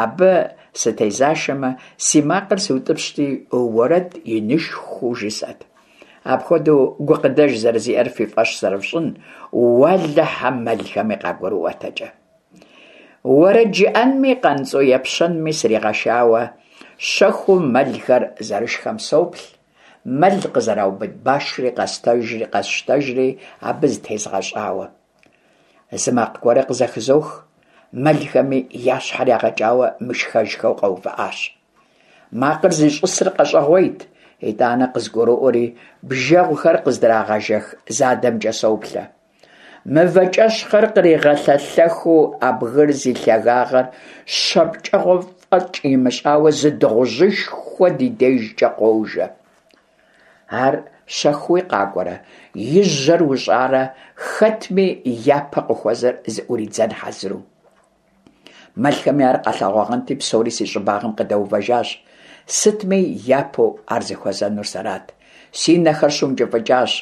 Абы сытезашэмэ, си макъыр сыутӏыпщти, уэрэд инышхуэу жысӏэт. Апхуэдэу гукъыдэж зэрызиӏэр фи фӏэщ зэрыфщӏын, уэлэхьэ, мэлхэми къагурыӏуэтэкӏэ. Уэрэд жыӏэнми къанцӏу епщэнми сригъэшауэ, щэхуу мэлхэр зэрышхэм соплъ, мэл къызэраубыд башри къэсщтэжри абы зытезгъэщӏауэ. Зы макъ гуэрэ къызэхызох, мэлхэми я щхьэр ягъэкӏауэ мышхэжхэу къэувыӏащ. Макъыр зищӏысыр къэщӏэгъуейт, итӏанэ къызгуроӏуэри, бжэгъухэр къыздрагъэжэх задэмкӏэ соплъэ. Мывэкӏэщхъыр къригъэлъэлъэхыу а бгыр зи лъагагъэр щэ пкӏэгъуэ фӏэкӏ имыщӏауэ зы дыгъужьышхуэ ди дежкӏэ къожэ. Ар щэхууи къакӏуэрэ, и жьэр ущӏарэ хэтми япэ къыхуэзэр зыӏуридзэн хьэзыру. Мэлхэми ар къалъэгъуагъэнти, псори си щӏыбагъым къыдэувэжащ. Сытми, япэу ар зыхуэзэнур сэрат. Си нэхэр щыункӏыфӏыкӏащ,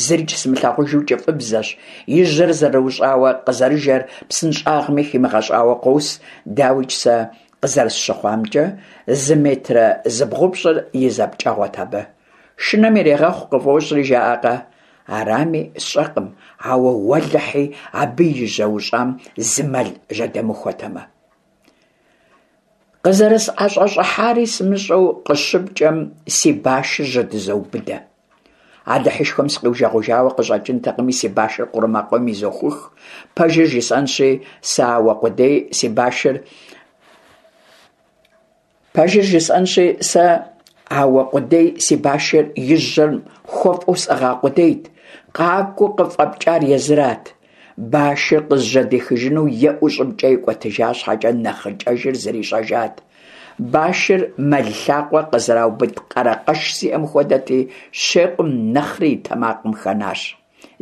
зырикӏ сымылъагъужу кӏыфӏыбзэщ, и жьэр зэрыущӏауэ къызэрыжэр псынщӏагъми химыгъэщӏауэ къос, дауикӏ сэ къызэрысщыхъуамкӏэ, зы метрэ зыбгъупщӏыр и зэпкӏэгъуэт абы. Шынэм ирегъэхъу къыфӏощӏри жаӏэкъэ? Арами, сщӏэкъым, ауэ уэлэхьи, абы и жьэ ущӏам зы мэл жьэдэмыхуэтэмэ. Къызэрысӏэщӏэщӏыхьари сымыщӏэу къыщыпкӏэм си башыр жьэдызоубыдэ. Алыхьышхуэм сыкъиужэгъужауэ къыщӏэкӏынтэкъыми, си башыр къурмакъейм изохух. Пэжыр жысӏэнщи, сэ ауэ къудей си башыр Пэжыр жысӏэнщи, сэ ауэ къудей си башыр и жьэм хуэфӏу сӏыгъа къудейт. Къакӏуэу къыфӏэпкӏар езырат. Башыр къызжьэдихыжыну еӏэу щӏыбкӏэ икӏуэтыжа щхьэкӏэ нэхъыкӏэжыр зэрищӏэжат. Башыр мэл лъакъуэ къызэраубыд къэрэкъэш зиӏэм хуэдэти, щекъум нэхъри и тэмакъым хэнащ.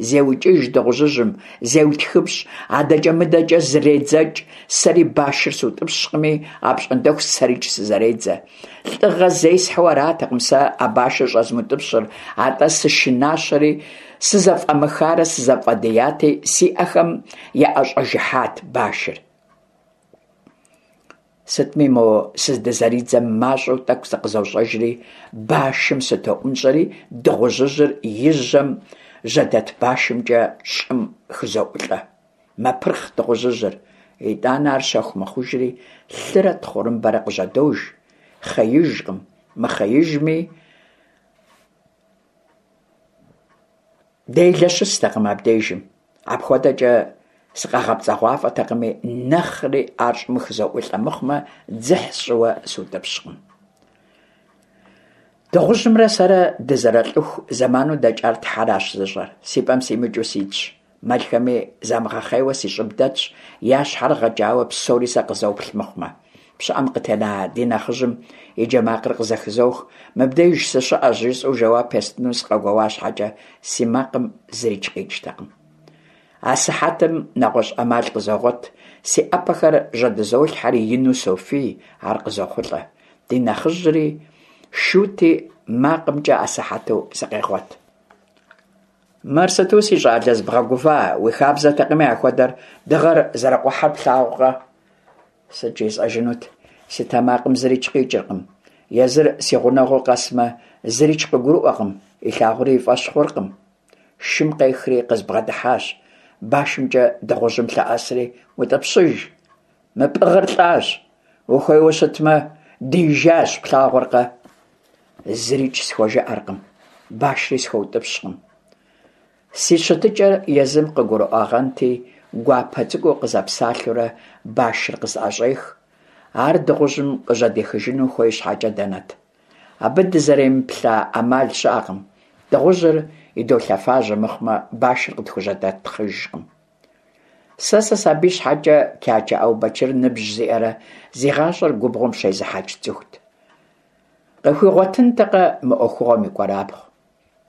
Зеукӏыж дыгъужьыжьым, зеутхыпщӏ, адэкӏэ-мыдэкӏэ зредзэкӏ, сэри башыр сутӏыпщкъыми, апщӏондэху сэрикӏ сызэредзэ. Лӏыгъэ зесхьэу аратэкъым сэ а башыр щӏэзмыутӏыпщыр, атӏэ сышынащэри, сызэфӏэмыхарэ сызэфӏэдияти, си ӏэхэм яӏэщӏэжыхьат башыр. Сытми, мо сыздызэридзэм мащӏэу тӏэкӏу зыкъызощӏэжри, башым сытоӏунщӏэри, дыгъужьыжьыр и жьэм жьэдэт башымкӏэ щӏым хызоӏулӏэ. Мэпырхъ дыгъужьыжьыр. Итӏанэ ар щэху мэхъужри, лъырэ тхъурымбэрэ къыжьэдож. Хъеижкъым, мыхъеижми, Делэ щыстэкъым абдежым. Апхуэдэкӏэ сыкъэгъэпцӏэгъуафӏэтэкъыми, нэхъри ар щӏым хызоӏулӏэ мыхъумэ, дзыхь сщӏыуэ сутӏыпщкъым. Дыгъужьымрэ сэрэ дызэрэлӏыху зэману дэкӏар Тхьэращ зыщӏэр. Си пӏэм симыкӏыу ситщ. Мэлхэми замыгъэхъейуэ си щӏыб дэтщ, я щхьэр гъэкӏауэ псори сэ къызоплъ мыхъумэ. Пщыӏэм къытена ди нэхъыжьым и джэ макъыр къызэхызох, мыбдеж сыщыӏэщ жысӏэу жэуап естыну сыкъэгуэуа щхьэкӏэ, си макъым зырикӏ къикӏтэкъым. Асыхьэтым нэгъуэщӏ ӏэмал къызогъуэт, си ӏэпэхэр жьэдызолъхьэри ину софий, ар къызохъулӏэ. Ди нэхъыжьри шути, макъымкӏэ асыхьэту сыкъегъуэт. Мыр сыту, си щӏалэ, зыбгъэгува, уи хабзэтэкъыми ахуэдэр, дыгъэр зэрыкъухьэр плъагъукъэ? Сыт жесӏэжынут, си тэмакъым зырикӏ къикӏыркъым. Езыр си гъунэгъуу къэсмэ, зырикӏ къыгурыӏуэкъым, илъагъури и фӏэщ хъуркъым. Шым къехри къызбгъэдыхьащ, башымкӏэ дыгъужьым лъэӏэсри, утӏыпщыж. Мы пӏыгъыр лӏащ, ухуейуэ щытмэ, диижащ, плъагъуркъэ? Зырикӏ схуэжыӏэркъым, башри схуэутӏыпщкъым. Си щытыкӏэр езым къыгурыӏуагъэнти, гуапэ цӏыкӏуу къызэпсалъэурэ башыр къысӏэщӏех. Ар дыгъужьым къыжьэдихыжыну хуей щхьэкӏэ дэнэт? Абы дызэремыплъа ӏэмал щыӏэкъым. Дыгъужьыр идолъэфажьэ мыхъумэ, башыр къытхужьэдэтхъыжкъым. Сэ сысабий щхьэкӏэ Кячэ Ӏэубэчыр ныбжь зиӏэрэ зи гъащӏэр губгъуэм щезыхьэкӏ цӏыхут. Къыхуигъуэтынтэкъэ мы ӏуэхугъуэм и кӏуэрабгъу?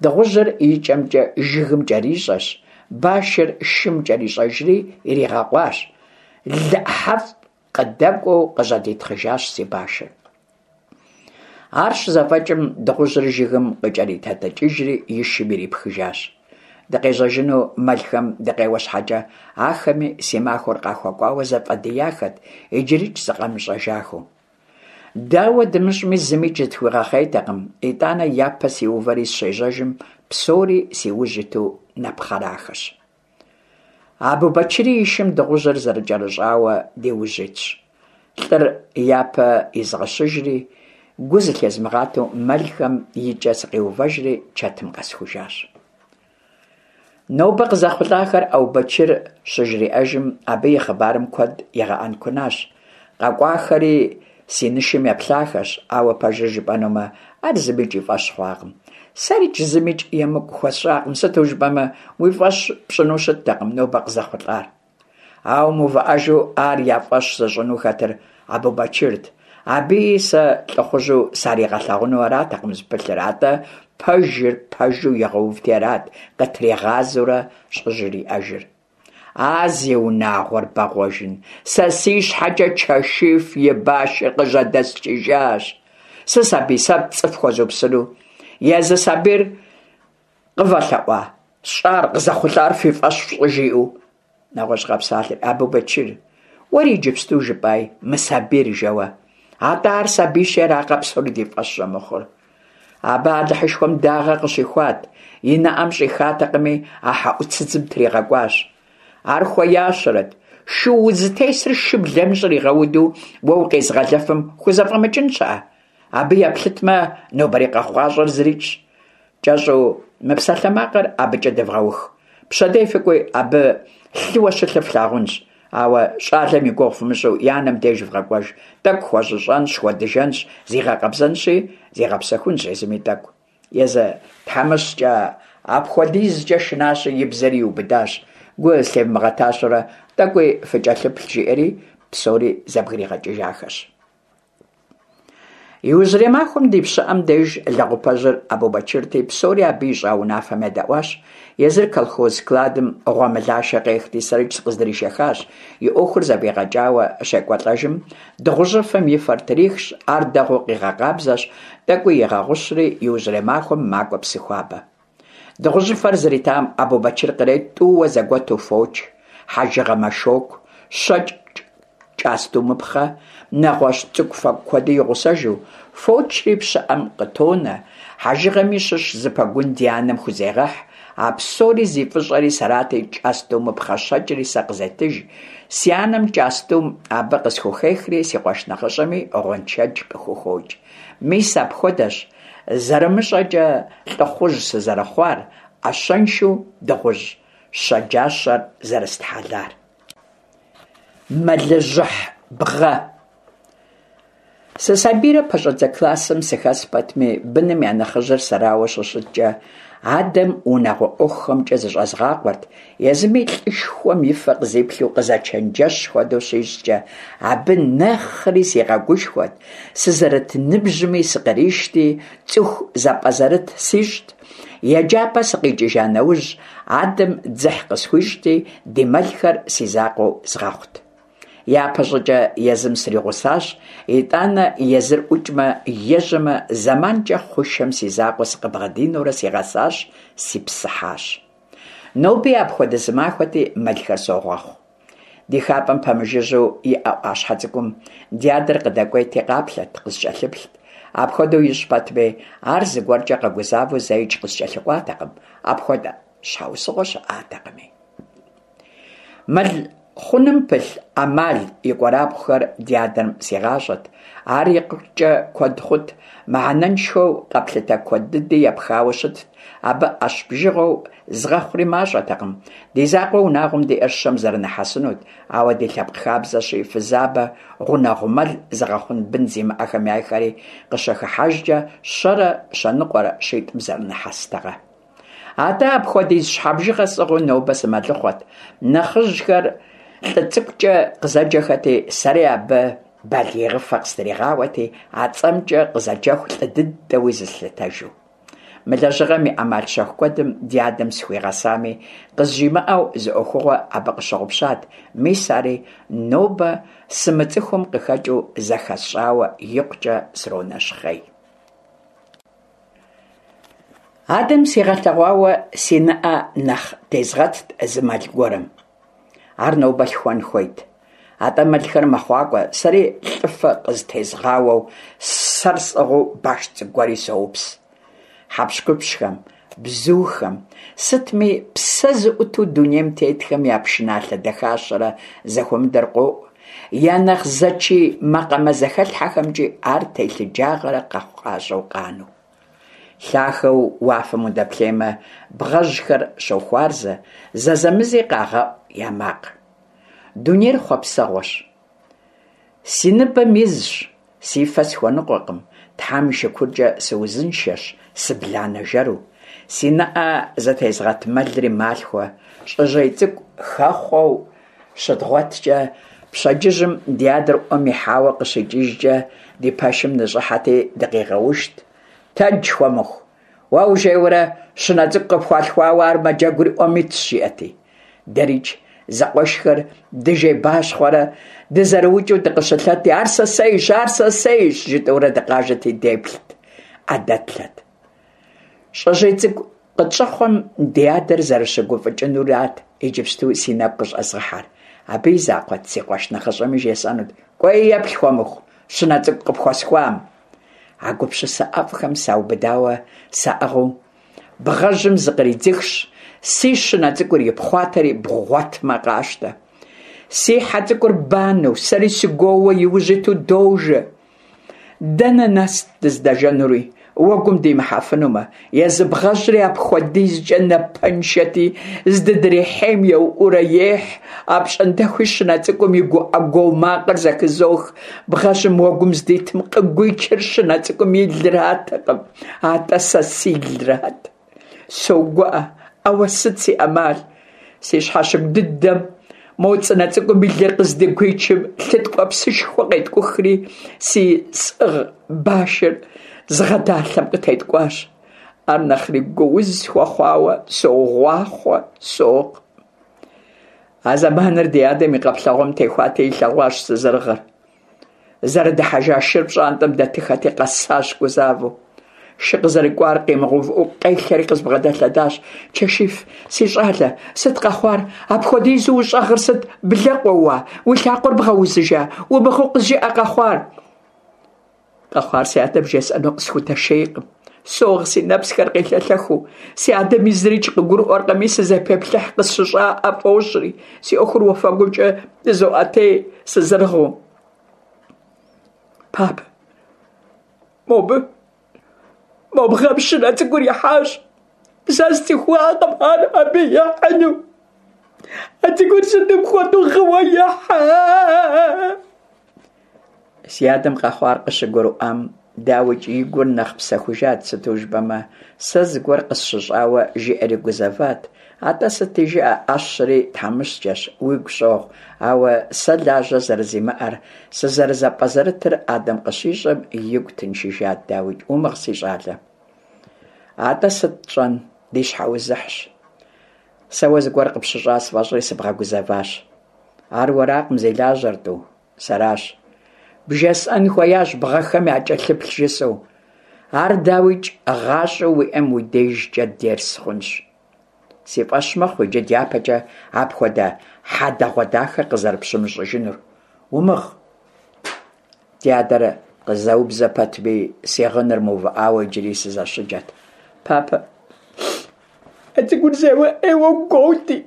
Дыгъужьыр и кӏэмкӏэ жыгым кӏэрищӏэщ, Башыр шым кӏэрищӏэжри иригъэкъуащ. Лы ӏыхьэфӏ къыдэкӏуэу къыжьэдитхъыжащ си башыр. Ар щызэфӏэкӏым, дыгъужьыр жыгым къыкӏэритэтыкӏыжри и шым ирипхыжащ. Дыкъежьэжыну мэлхэм дыкъеуэ щхьэкӏэ, ахэми си махуэр къахуэкӏуауэ зэфӏэдияхэт, иджырикӏ зыкъамыщӏэжахэу. Дауэ дымыщӏми, зымикӏ зытхуигъэхъейтэкъым, итӏанэ япэ сиувэри сыщежьэжым, псори си ужь иту нэпхъэрахэщ. Абубэчыри и шым дыгъужьыр зэрыкӏэрыщӏауэ ди ужь итщ. Лӏыр япэ изгъэщыжри, гу зылъезмыгъатэу мэлхэм и кӏэ сыкъиувэжри чэтым къэсхужащ. Нобэ къызэхъулӏахэр Ӏэубэчыр щыжриӏэжым, абы и хъыбарым куэд игъэӏэнкунащ. Къэкӏуахэри си нышым еплъахэщ, ауэ пэжыр жыпӏэнумэ, ар зымикӏ и фӏэщ хъуакъым. Сэрикӏ зымикӏ емыкӏу хуэсщӏакъым, сыту жыпӏэмэ, уи фӏэщ пщӏыну щыттэкъым нобэ къызэхъулӏар. Ауэ мыувыӏэжу ар я фӏэщ зыщӏыну хэтыр Абубэчырт. Абыи сэ лӏыхъужьу саригъэлъагъуну аратэкъым зыпылъыр, атӏэ пэжыр пэжу игъэувти арат къытригъазэурэ щӏыжриӏэжыр. А зи унагъуэр бэгъуэжын, сэ си щхьэкӏэ Чэшиф и башыр къыжьэдэсчыжащ. Сысабий, сэ пцӏы фхуэзупсыну? Езы сабийр къывэлъэӏуа, сщӏар, къызэхъулӏар фи фӏэщ фщӏы жиӏэу? Нэгъуэщӏ къэпсалъэр, Абубэчыр, уэри иджыпсту жыпӏай мы сабийр жэуэ. Атӏэ ар сабийщи аракъэ псори ди фӏэщ щӏэмыхъур? Абы Алыхьышхуэм дагъэ къыщихуат, и нэӏэм щӏихатэкъыми, а хьэӏуцыдзым тригъэкӏуащ. Ар хуеящэрэт, шы узытесыр шыблэм щӏригъэуду уэ укъезыгъэлыфым хузэфӏэмыкӏын щыӏэ? Абы еплъытмэ, нобэрей къэхъукъащӏэр зырикӏщ. Кӏэщӏу мы псалъэмакъыр абыкӏэ дывгъэух. Пщэдей фыкӏуи, абы лъыуэ щылъыр флъагъунщ. Ауэ щӏалэм и гугъу фымыщӏу и анэм деж вгъэкӏуэж. Тӏэкӏу хуэщӏыщӏэнщ, хуэдыжэнщ, зигъэкъэбзэнщи, зигъэпсэхунщ езыми тӏэкӏу. Езы тхьэмыщкӏэ апхуэдизкӏэ шынащи, и бзэри иубыдащ. Гу зылъевмыгъэтащэурэ тӏэкӏуи фыкӏэлъыплъ, жиӏэри псори зэбгригъэкӏыжахэщ. Иужьрей махуэм ди пщыӏэм деж лэгъупэжьыр Абубэчырти, псори абы ищӏа унафэм едэӏуащ. Езыр колхоз складым гъуэмылашэ къехти, сэрикӏ сыкъыздришэхащ. И ӏуэхур зэфӏигъэкӏауэ щекӏуэлӏэжым, дыгъужьыфэм и фэр трихщ, ар дэгъуэу къигъэкъабзэщ, тӏэкӏуи игъэгъущри, иужьрей махуэм макӏуэ Псыхуабэ. Дыгъужьыфэр зритам Абубэчыр кърет тӏууэ зэгуэту фоч, хьэжыгъэ мэшоку, щэкӏ кӏастумыпхъэ, нэгъуэщӏ цӏыкӏу-фэкӏу куэди и гъусэжу, фочри пщыӏэм къытонэ, хьэжыгъэми щыщ зы пэгун ди анэм хузегъэхь, а псори зи фӏыщӏэри сэрати, кӏастумыпхъэ щэкӏри сэ къызетыж, си анэм кӏастум абы къысхухехри, си къуэш нэхъыщӏэми гъуэншэдж къыхухокӏ. Мис апхуэдэщ Зэрымыщӏэкӏэ лӏыхъужь сызэрыхъуар, ӏэщэншэу дыгъужь щэджащэр зэрыстхьэлар. Мэлыжьыхь бгъэ. Сысабийрэ пэщӏэдзэ классым сыхэс пэтми, быным я нэхъыжьыр сэрауэ щыщыткӏэ, адэм унагъуэ ӏуэхухэмкӏэ зыщӏэзгъакъуэрт, Езыми лӏышхуэм и фэ къызиплъу къызэчэнджэщ хуэдэу щищӏкӏэ, абы нэхъри сигъэгушхуэт, сызэрыт ныбжьми сыкъришти, цӏыху зэпӏэзэрыт сищӏт. Еджапӏэ сыкъикӏыжа нэужь, адэм дзыхь къысхуищӏти, ди мэлхэр си закъуэу згъэхъут. Япэщӏыкӏэ езым сригъусащ, итӏанэ езыр ӏукӏмэ, ежьэмэ, зэманкӏэ хъушэм си закъуэ сыкъыбгъэдинэурэ сигъэсащ, сипсыхьащ. Ноби апхуэдэ зы махуэти, мэлхэр согъэхъу. Ди хапӏэм пэмыжыжьэу иӏэ ӏуащхьэ цӏыкӏум ди адэр къыдэкӏуейти къаплъэт, къыскӏэлъыплът. Апхуэдэу ищӏ пэтми, ар зыгуэркӏэ къэгузавэу зэикӏ къыскӏэлъыкӏуатэкъым, апхуэдэ щхьэусыгъуэ щыӏатэкъыми. Мэл хъуным пылъ ӏэмал и кӏуэрабгъухэр ди адэм сигъащӏэт. Ар икъукӏэ куэд хъут, мыхьэнэншэу къэплъытэ куэд дыди епхауэ щытт. Абы ӏэщ бжыгъэу згъэхъури мащӏэтэкъым. Ди закъуэ унагъуэм диӏэр щэм зэрынэхьэсынут, ауэ ди лъэпкъ хабзэщи, фызабэ, гъунэгъу мэл зыгъэхъун бын зимыӏэхэм яйхэри къыщыхыхьэжкӏэ щэрэ щэныкъуэрэ щитӏым зэрынэхьэстэкъэ. Атӏэ апхуэдиз щхьэ бжыгъэ сӏыгъыу нобэ сымэлыхъуэт. Нэхъыжьхэр лӏы цӏыкӏукӏэ къызэджэхэти, сэри абы балигъыфэ къыстригъауэти, а цӏэмкӏэ къызэджэху лӏы дыдэуи зыслъытэжу. Мы лэжьыгъэм и ӏэмал щэху куэдым ди адэм сыхуигъэсами, къызжимыӏэу зы ӏуэхугъуэ абы къыщыгъупщат, мис ари нобэ сымыцӏыхум къыхэкӏыу зэхэсщӏауэ икъукӏэ сронэщхъей. Адэм сигъэлъэгъуауэ си нэӏэ нэхъ тезгъэтт зы мэл гуэрым. Ар нобэ лъхуэн хуейт. Атӏэ мэлхэр мэхъуакӏуэ, сэри лӏыфэ къызытезгъауэу, сэр сӏыгъыу баш цӏыкӏу гуэри соупс. Хьэпщхупщхэм, бзухэм, сытми псэ зыӏуту дунейм тетхэм я пшыналъэ дахащэрэ зэхуэмыдэр къоӏу, я нэхъ зэчий макъамэ зэхэлъхьэхэмкӏи ар телъыджагъэрэ къэхъукъащӏэу къанэу. Лъахэу уафэм удэплъеймэ, бгъэжьхэр щохуарзэ, зэзэмызи къагъэӏу я макъ. Дунейр хъуэпсэгъуэщ. Си ныбэм изщ, си фэ схуэныкъуэкъым, Тхьэм и шыкуркӏэ сыузыншэщ, сыбланэ жэру. Си нэӏэ зытезгъэт мэлри малъхуэ, щӏыжьей цӏыкӏу хэхъуэу щыдгъуэткӏэ, пщэдджыжьым ди адэр ӏуэм ихьауэ къыщикӏыжкӏэ ди пэшым ныщӏыхьэти дыкъигъэушт. Тэдж, хуэмыху! Уэ ужейуэрэ щынэ цӏыкӏу къыпхуалъхуауэ ар мэджэгури ӏуэм итщ, жиӏэти. Дэрикӏ, зэкъуэшхэр дыжейбащхъуэрэ дызэрыукӏыу дыкъыщылъэти, ар сэсейщ, ар сэсейщ, жытӏэурэ дыкъажэти деплът, ӏэ дэтлъэт. Щӏыжьей цӏыкӏу къытщӏэхъуэм ди адэр зэрыщыгуфӏыкӏынурат иджыпсту си нэгу къыщӏэзгъыхьэр. Абы и закъуэт си къуэш нэхъыщӏэми жесӏэнут, кӏуэи еплъ хуэмыху, щынэ цӏыкӏу къыпхуэсхуам. А гупсысэ ӏэфӏхэм саубыдауэ саӏыгъыу, бгъэжьым зыкъридзыхщ, си щынэ цӏыкӏур ипхъуатэри бгъуэтмэ къащтэ. Си хьэ цӏыкӏур банэу, сэри сыгуоууэ иужь иту дожэ. Дэнэ нэст дыздэжэнури, уэгум димыхьэфынумэ, езы бгъэжьри апхуэдизкӏэ напэншэти, здыдрихьейм еуӏуурэ ехь, апщӏондэхуи щынэ цӏыкӏум и гуӏэ гуо макъыр зэхызох, бгъэжьым уэгум здитым къыгуичыр щынэ цӏыкӏум и лыратэкъым, атӏэ сэ силрат. Согуӏэ, ауэ сыт си ӏэмал? Си щхьэщыгу дыдэм мо цӏынэ цӏыкӏум и лыр къыздыгуичым лъы ткӏуэпсышхуэ къеткӏухри, си сӏыгъ башыр згъэдалъэм къытеткӏуащ. Ар нэхъри гууз схуэхъуауэ согъуахъуэ, согъ. А зэманыр ди адэм и къэплъэгъуэм техуати, илъэгъуащ сызэрыгъыр. Зэрыдыхьэжа шыр пщӏантӏэм дэтыхэти, къэсащ гузавэу. Шы къызэрыкӏуар къимыгъэувыӏэу къелъэри къызбгъэдэлъэдащ. Чэшиф, си щӏалэ, сыт къэхъуар? Апхуэдизу ущӏэгъыр сыт? Блэ къоуа? Уи лъакъуэр бгъэузыжа? Умыгъыу къызжыӏэ къэхъуар. Къэхъуар си адэм жесӏэну къысхудэшейкъым. Согъ си нэпсхэр къелъэлъэхыу. Си адэми зырикӏ къыгурыӏуэркъыми, сызэпеплъыхь къысщыщӏаӏэ фӏощӏри, си ӏуэхур уафэгумкӏэ дызоӏэтей сызэрыгъыу. Папэ, мобы, мо бгъэм щынэ цӏыкӏур ихьащ. Сэ сцӏыхуакъым ар абы ихьыну. А цӏыкӏур сытым хуэдэу гъыуэ ихьа? Си адэм къэхъуар къыщыгурыӏуам, дауикӏ, и гур нэхъ псэхужат, сыту жыпӏэмэ, сэ зыгуэр къысщыщӏауэ жиӏэри гузэват. Атӏэ сыти жыӏэ, ӏэщри тхьэмыщкӏэщ, уигу щӏогъу, ауэ сэ лажьэ зэрызимыӏэр, сызэрызэпӏэзэрытыр адэм къыщищӏэм, игу тыншыжат, дауикӏ. Умыгъ, си щӏалэ. Атӏэ сыт тщӏэн, ди щхьэузыхьщ. Сэ уэ зыгуэр къыпщыщӏа сфӏэщӏри сыбгъэгузэващ. Ар уэракъым зи лажьэр, тӏу. Сэращ. Бжесӏэн хуеящ бгъэхэм якӏэлъыплъ жысӏэу. Ар, дауикӏ, гъащӏэу уиӏэм уи дежкӏэ дерс хъунщ. Си фӏэщ мэхъу иджы дяпэкӏэ апхуэдэ хьэдэгъуэдахэ къызэрыпщымыщӏыжынур. Умыгъ. Ди адэр къызэубзэ пэтми, си гъыныр мыувыӏауэ иджыри сызэщыджэт. Папэ, а цӏыкӏур зэуэ ӏейуэ гуоути.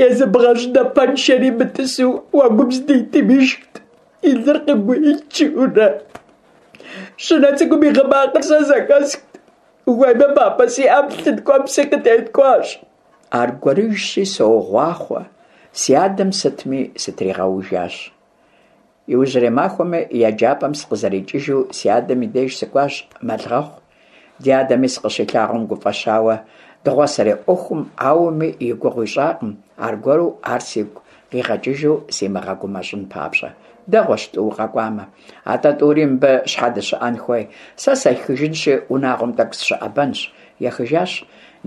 Езы бгъэжь напэншэри мытӏысу уэгум здитым ишхт, и лыр къыгуичурэ. Щынэ цӏыкӏум и гъы макъыр сэ зэхэсхт. Ухуеймэ, папэ, си ӏэм лъы ткӏуэпси къытеткӏуащ. Аргуэрыжьщи, согъуахъуэ, си адэм сытми сытригъэужащ. Иужьрей махуэми еджапӏэм сыкъызэрикӏыжу си адэм и деж сыкӏуащ мэлгъэхъу. Ди адэми сыкъыщилъагъум гуфӏэщауэ, дыгъуасэрей ӏуэхум ауэми и гугъу ищӏакъым, аргуэру ар сигу къигъэкӏыжу симыгъэгумэщӏын папщӏэ. Дэгъуэщ тӏу укъэкӏуамэ. Атӏэ тӏури мыбы щхьэ дыщыӏэн хуей? Сэ сехыжынщи, унагъуэм тӏэкӏу сыщыӏэбэнщ. Ехыжащ.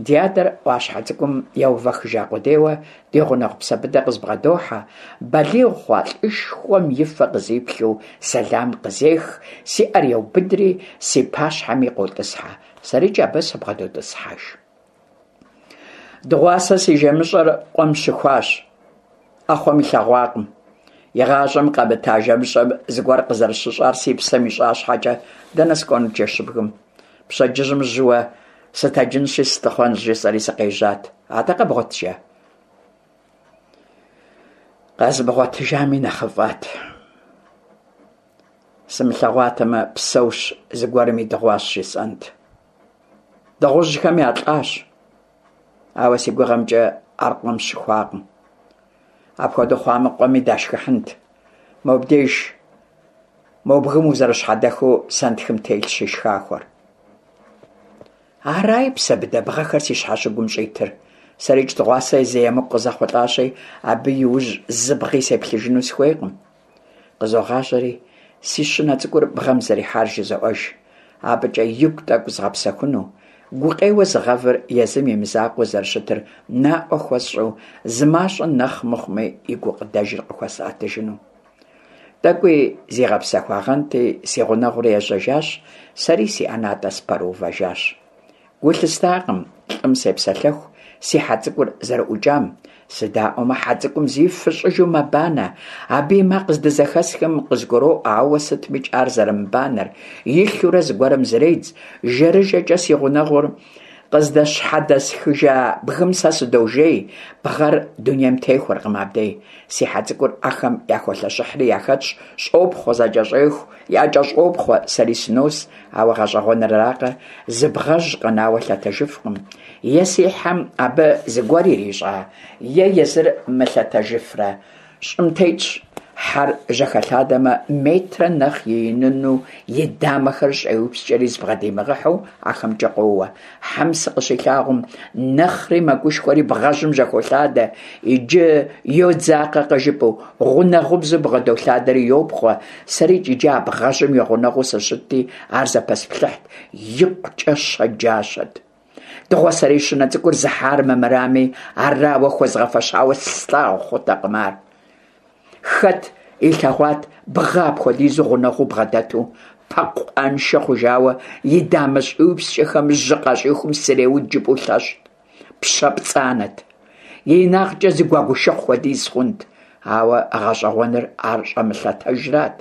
Ди адэр ӏуащхьэ цӏыкӏум еувэхыжа къудейуэ ди гъунэгъу Псэбыдэ къызбгъэдохьэ, балигъ хъуа лӏышхуэм и фэ къызиплъу сэлам къызех, си ӏэр еубыдри, си пащхьэми къотӏысхьэ. Сэрикӏ абы сыбгъэдотӏысхьэж. Дыгъуасэ си жэмыщӏэр къуэм щыхуащ. ӏэхъуэм илъэгъуакъым. Игъащӏэм къэмыта жэмыщӏэм зыгуэр къызэрыщыщӏар си псэм ищӏа щхьэкӏэ, дэнэ сыкӏуэнут жэщыбгым? Пщэдджыжьым жьыуэ сытэджынщи сылъыхъуэнщ, жысӏэри сыкъежьат. Атӏэ къэбгъуэтыжа? Къэзмыгъуэтыжами нэхъыфӏат. Сымылъэгъуатэмэ, псэущ, зыгуэрым идыгъуащ жысӏэнт. Дыгъужьхэм ялӏащ, ауэ си гугъэмкӏэ ар къуэм щыхуакъым. Апхуэдэу хъуамэ, къуэми дашхыхьынт. Мобдеж, мо бгым узэрыщхьэдэхыу сэнтхым телъщ шхахуэр. Араи Псэбыдэ бгъэхэр си щхьэщыгум щӏитыр. Сэрикӏ дыгъуасэ зы емыкӏу къызэхъулӏащи, абы и ужь зы бгъи сеплъыжыну сыхуейкъым. Къызогъащӏэри, си щынэ цӏыкӏур бгъэм зэрихьар жызоӏэж, абыкӏэ игу тӏэкӏу згъэпсэхуну, гукъеуэ зыгъэвыр езым и мызакъуэу зэрыщытыр наӏуэ хуэсщӏу, зы мащӏэ нэхъ мыхъуми и гукъыдэжыр къыхуэсӏэтыжыну. Тӏэкӏуи зигъэпсэхуагъэнти, си гъунэгъури ежьэжащ, сэри си ӏэнатӏэ сыпэрыувэжащ. Гу лъыстакъым лӏым сепсэлъэху си хьэ цӏыкӏур зэрыӏукӏам. Сыдаӏуэмэ, хьэ цӏыкӏум зифыщӏыжу мэбанэ. Абы и макъ здызэхэсхым къызгуроӏуэ, ауэ сытмикӏ ар зэрымыбанэр. Илъурэ зыгуэрым зредз. Жэрыжэкӏэ си гъунэгъур къыздэщхьэдэсхыжа бгым сэ сыдожей, бгъэр дунейм техуэркъым абдей. Си хьэ цӏыкӏур ахэм яхолъэщыхьри яхэтщ, щӏопхъуэ, зэкӏэщӏеху, якӏэщӏопхъуэ, сэри сынос, ауэ гъэщӏэгъуэныр аракъэ, зы бгъэжь къэнауэ лъэтэжыфкъым. Е си хьэм абы зыгуэр ирищӏа, е езыр мылъэтэжыфрэ, щӏым тетщ. Хьэр жьэхэлъадэмэ, метрэ нэхъ ииныну и дамэхэр щӏеупскӏэри зыбгъэдимыгъэхьэу ахэмкӏэ къоуэ. Хьэм сыкъыщилъагъум, нэхъри мэгушхуэри бгъэжьым жьэхолъадэ, иджы йодзакъэ къыжыпӏэу, гъунэгъубзу бгъэдолъадэри йопхъуэ. Сэрикӏ иджы а бгъэжьым и гъунэгъуу сыщытти, ар зэпэсплъыхьт, икъукӏэ щэджащэт. Дыгъуасэрей щынэ цӏыкӏур зыхьар мымырами, арауэ хуэзгъэфэщауэ слъагъу хъутэкъым ар. Хэт илъэгъуат бгъэ апхуэдизу гъунэгъуу бгъэдэту, пэкъу ӏэншэ хъужауэ, и дамэ щӏиупскӏэхэм жьы къащӏихум среуд жыпӏэу лъэщт, пщэ пцӏанэт. И инагъкӏэ зы гуэгушыхъу хуэдиз хъунт, ауэ гъэщӏэгъуэныр ар щӏэмылъэтэжрат.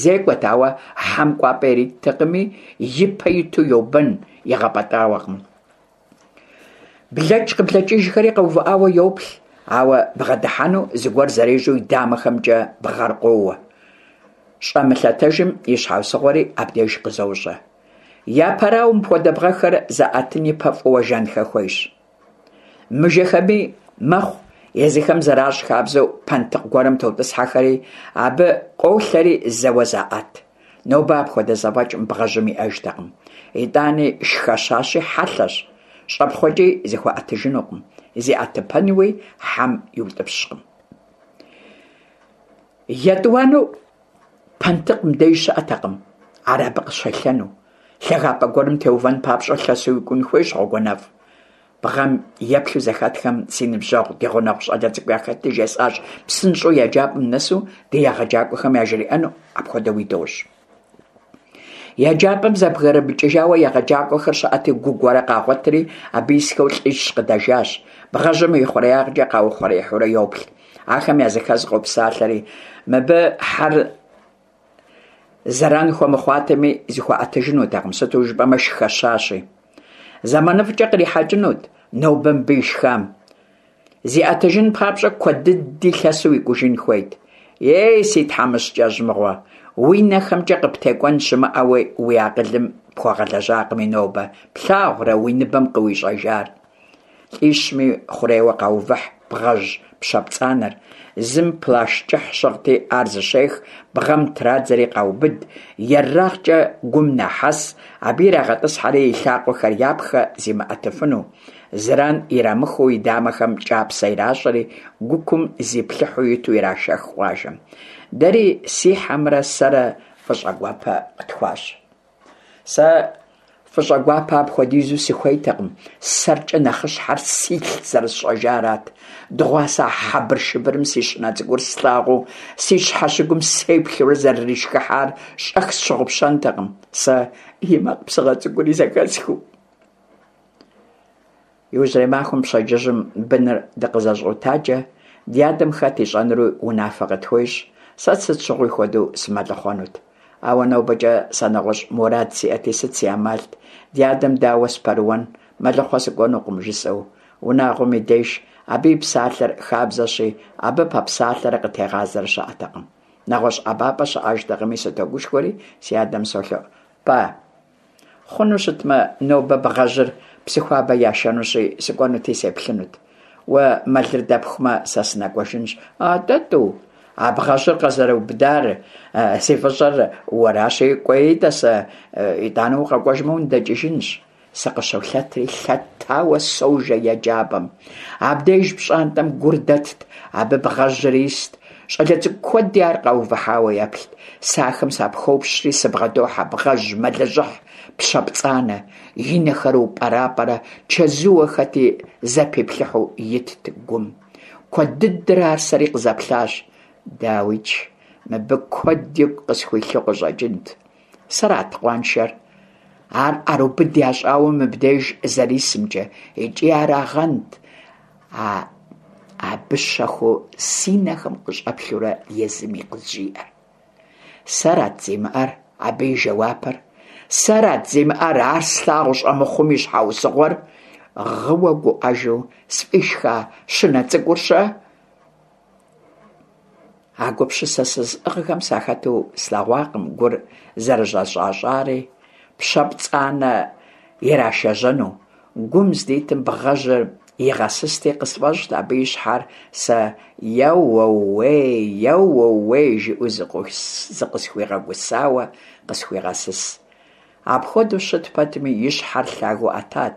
Зекӏуэт, ауэ хьэм кӏуапӏэ ириттэкъыми, и пэ иту йобэн, игъэпӏэтӏауэкъым. Блэкӏ-къыблэкӏыжхэри къэувыӏауэ йоплъ, ауэ бгъэдыхьэну зыгуэр зэрежьэу и дамэхэмкӏэ бгъэр къоуэ. Щӏэмылъэтэжым и щхьэусыгъуэри абдеж къызощӏэ. Япэрауэ, мыпхуэдэ бгъэхэр заӏэтын ипэ фӏыуэ жэнхэ хуейщ. Мыжэхэми мэхъу, езыхэм зэращӏ хабзэу пэнтыкъ гуэрым тотӏысхьэхэри, абы къолъэри зэуэ заӏэт. Нобэ апхуэдэ зэфӏэкӏ мы бгъэжьым иӏэжтэкъым. Итӏани шхэщащи хьэлъэщ, щӏэпхъуэкӏи зыхуэӏэтыжынукъым, зиӏэтыпэнуи хьэм иутӏыпщкъым. Етӏуанэу пэнтыкъ мыбдеж щыӏэтэкъым, ар абы къыщелъэну. Лъагапӏэ гуэрым теувэн папщӏэ лъэсу уикӏун хуейщ гъуэгуанэфӏ. Бгъэм еплъу зэхэтхэм си ныбжьэгъу, ди гъунэгъу щӏалэ цӏыкӏу яхэтти, жесӏащ псынщӏэу еджапӏэм нэсу ди егъэджакӏуэхэм яжриӏэну, апхуэдэуи дощӏ. Еджапӏэм зэбгрымыкӏыжауэ егъэджакӏуэхэр щыӏэти, гу гуэрэ къагъуэтри, абы исхэу лӏищ къыдэжащ. Бгъэжьым и хъуреягъкӏэ къаухъуреихьурэ йоплъ. Ахэм языхэз къопсалъэри, мыбы хьэр Зэран хуэмыхъуатэми, зыхуэӏэтыжынутэкъым, сыту жыпӏэмэ шхэщащи. Зэманыфӏкӏэ кърихьэкӏынут нобэ мыбы ишхам. Зиӏэтыжын папщӏэ куэд дыди лъэсу икӏужын хуейт. Ей, си тхьэмыщкӏэжь мыгъуэ, уи нэхэмкӏэ къыптекӏуэн щымыӏэуи уи акъылым пхуэгъэлэжьакъыми нобэ, плъагъурэ уи ныбэм къыуищӏэжар? Лӏищми хъурейуэ къаувыхь бгъэжь пщэ пцӏанэр. Зым плащ кӏыхь щыгъти, ар зыщех, бгъэм традзэри къаубыд, ерагъкӏэ гум нахьэс, абы ирагъэтӏысхьэри и лъакъуэхэр япхэ зимыӏэтыфыну. Зэран ирамыхыу и дамэхэм кӏапсэ иращӏэри, гукум зиплъыхьу иту ирашэх къуажэм. Дэри си хьэмрэ сэрэ фӏыщӏэгуапэ къытхуащӏ. Сэ фӏыщӏэгуапэ апхуэдизу сыхуейтэкъым, сэркӏэ нэхъыщхьэр силъ зэрысщӏэжарат. Дыгъуасэ а хьэбыршыбырым си щынэ цӏыкӏур слъагъуу, си щхьэщыгум сеплъурэ зэрыришхыхьар щӏэх сщыгъупщэнтэкъым, сэ и макъ псыгъэ цӏыкӏури зэхэсхыу. Иужьрей махуэм пщэдджыжьым быныр дыкъызэщӏотаджэ, ди адэм хэт ищӏэнури унафэ къытхуещӏ, сэ сыт щыгъуи хуэдэу сымэлыхъуэнут. Ауэ нобэкӏэ сэ нэгъуэщӏ мурад сиӏэти, сыт си ӏэмалт, ди адэм дауэ сыпэрыуэн, мэлыхъуэ сыкӏуэнукъым, жысӏэу. Унагъуэм и деж абы и псалъэр хабзэщи, абы пэпсалъэрэ къытегъазэрэ щыӏэтэкъым. Нэгъуэщӏ ӏэбапӏэ щыӏэжтэкъыми, сытогушхуэри, си адэм солъэӏу: Па! Хъуну щытмэ, нобэ бгъэжьыр Псыхуабэ яшэнущи, сыкӏуэнути сеплъынут. Уэ мэлыр дэпхумэ, сэ сынэкӏуэжынщ. Атӏэ, тӏу, а бгъэжьыр къызэрубыдар зи фӏыщӏэр уэращи, кӏуэи, тӏасэ, итӏанэ укъэкӏуэжмэ уныдэкӏыжынщ. Сыкъыщолъэтри, лъэтауэ сожэ еджапӏэм. Абдеж пщӏантӏэм гур дэтт, абы бгъэжьыр ист. Щӏалэ цӏыкӏу куэди ар къаувыхьауэ еплът. Сэ ахэм сапхопщри, сыбгъэдохьэ бгъэжь мэлыжьыхь пщэ пцӏанэ. И нэхэр упӏэрапӏэрэ чэзууэ хэти зэпиплъыхьу итт гум. Куэд дыдэрэ ар сэри къызэплъащ. Дауикӏ, мыбы куэд игу къысхуилъу къыщӏэкӏынт. Сэрат къуаншэр? Ар ӏэрубыд ящӏауэ мыбдеж зэрисымкӏэ икӏи арагъэнт а абы щэхуу си нэхэм къыщӏэплъурэ езыми къызжиӏэр. Сэрат зимыӏэр абы и жэуапыр? Сэрат зимыӏэр ар слъагъу щӏэмыхъум и щхьэусыгъуэр? Гъыуэ гуӏэжу сфӏишха щынэ цӏыкӏур-щэ? А гупсысэ сызыӏыгъхэм сахэту слъэгъуакъым гур зэрыщӏэщӏащӏари, пщэ пцӏанэ ирашэжьэну. Гум здитым бгъэжьыр игъэсысти, къысфӏэщӏт абы и щхьэр сэ еуэуей, еуэуей жиӏэу зыкъысхуигъэгусауэ къысхуигъэсыс. Апхуэдэу щыт пэтми, и щхьэр лъагэу ӏэтат,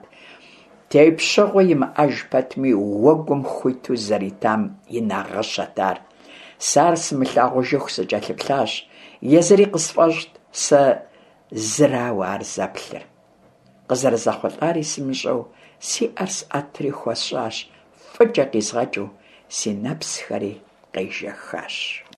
тепщэгъуэ имыӏэж пэтми, уэгум хуиту зэритам и нагъыщэт ар. Сэ ар сымылъагъужыху сыкӏэлъыплъащ, езыри къысфӏэщӏт сэ зырауэ ар зэплъыр. Къызэрызэхъулӏари сымыщӏэу, си ӏэр сӏэтри хуэсщӏащ, фӏыкӏэ къизгъэкӏыу, си нэпсхэри къежэхащ.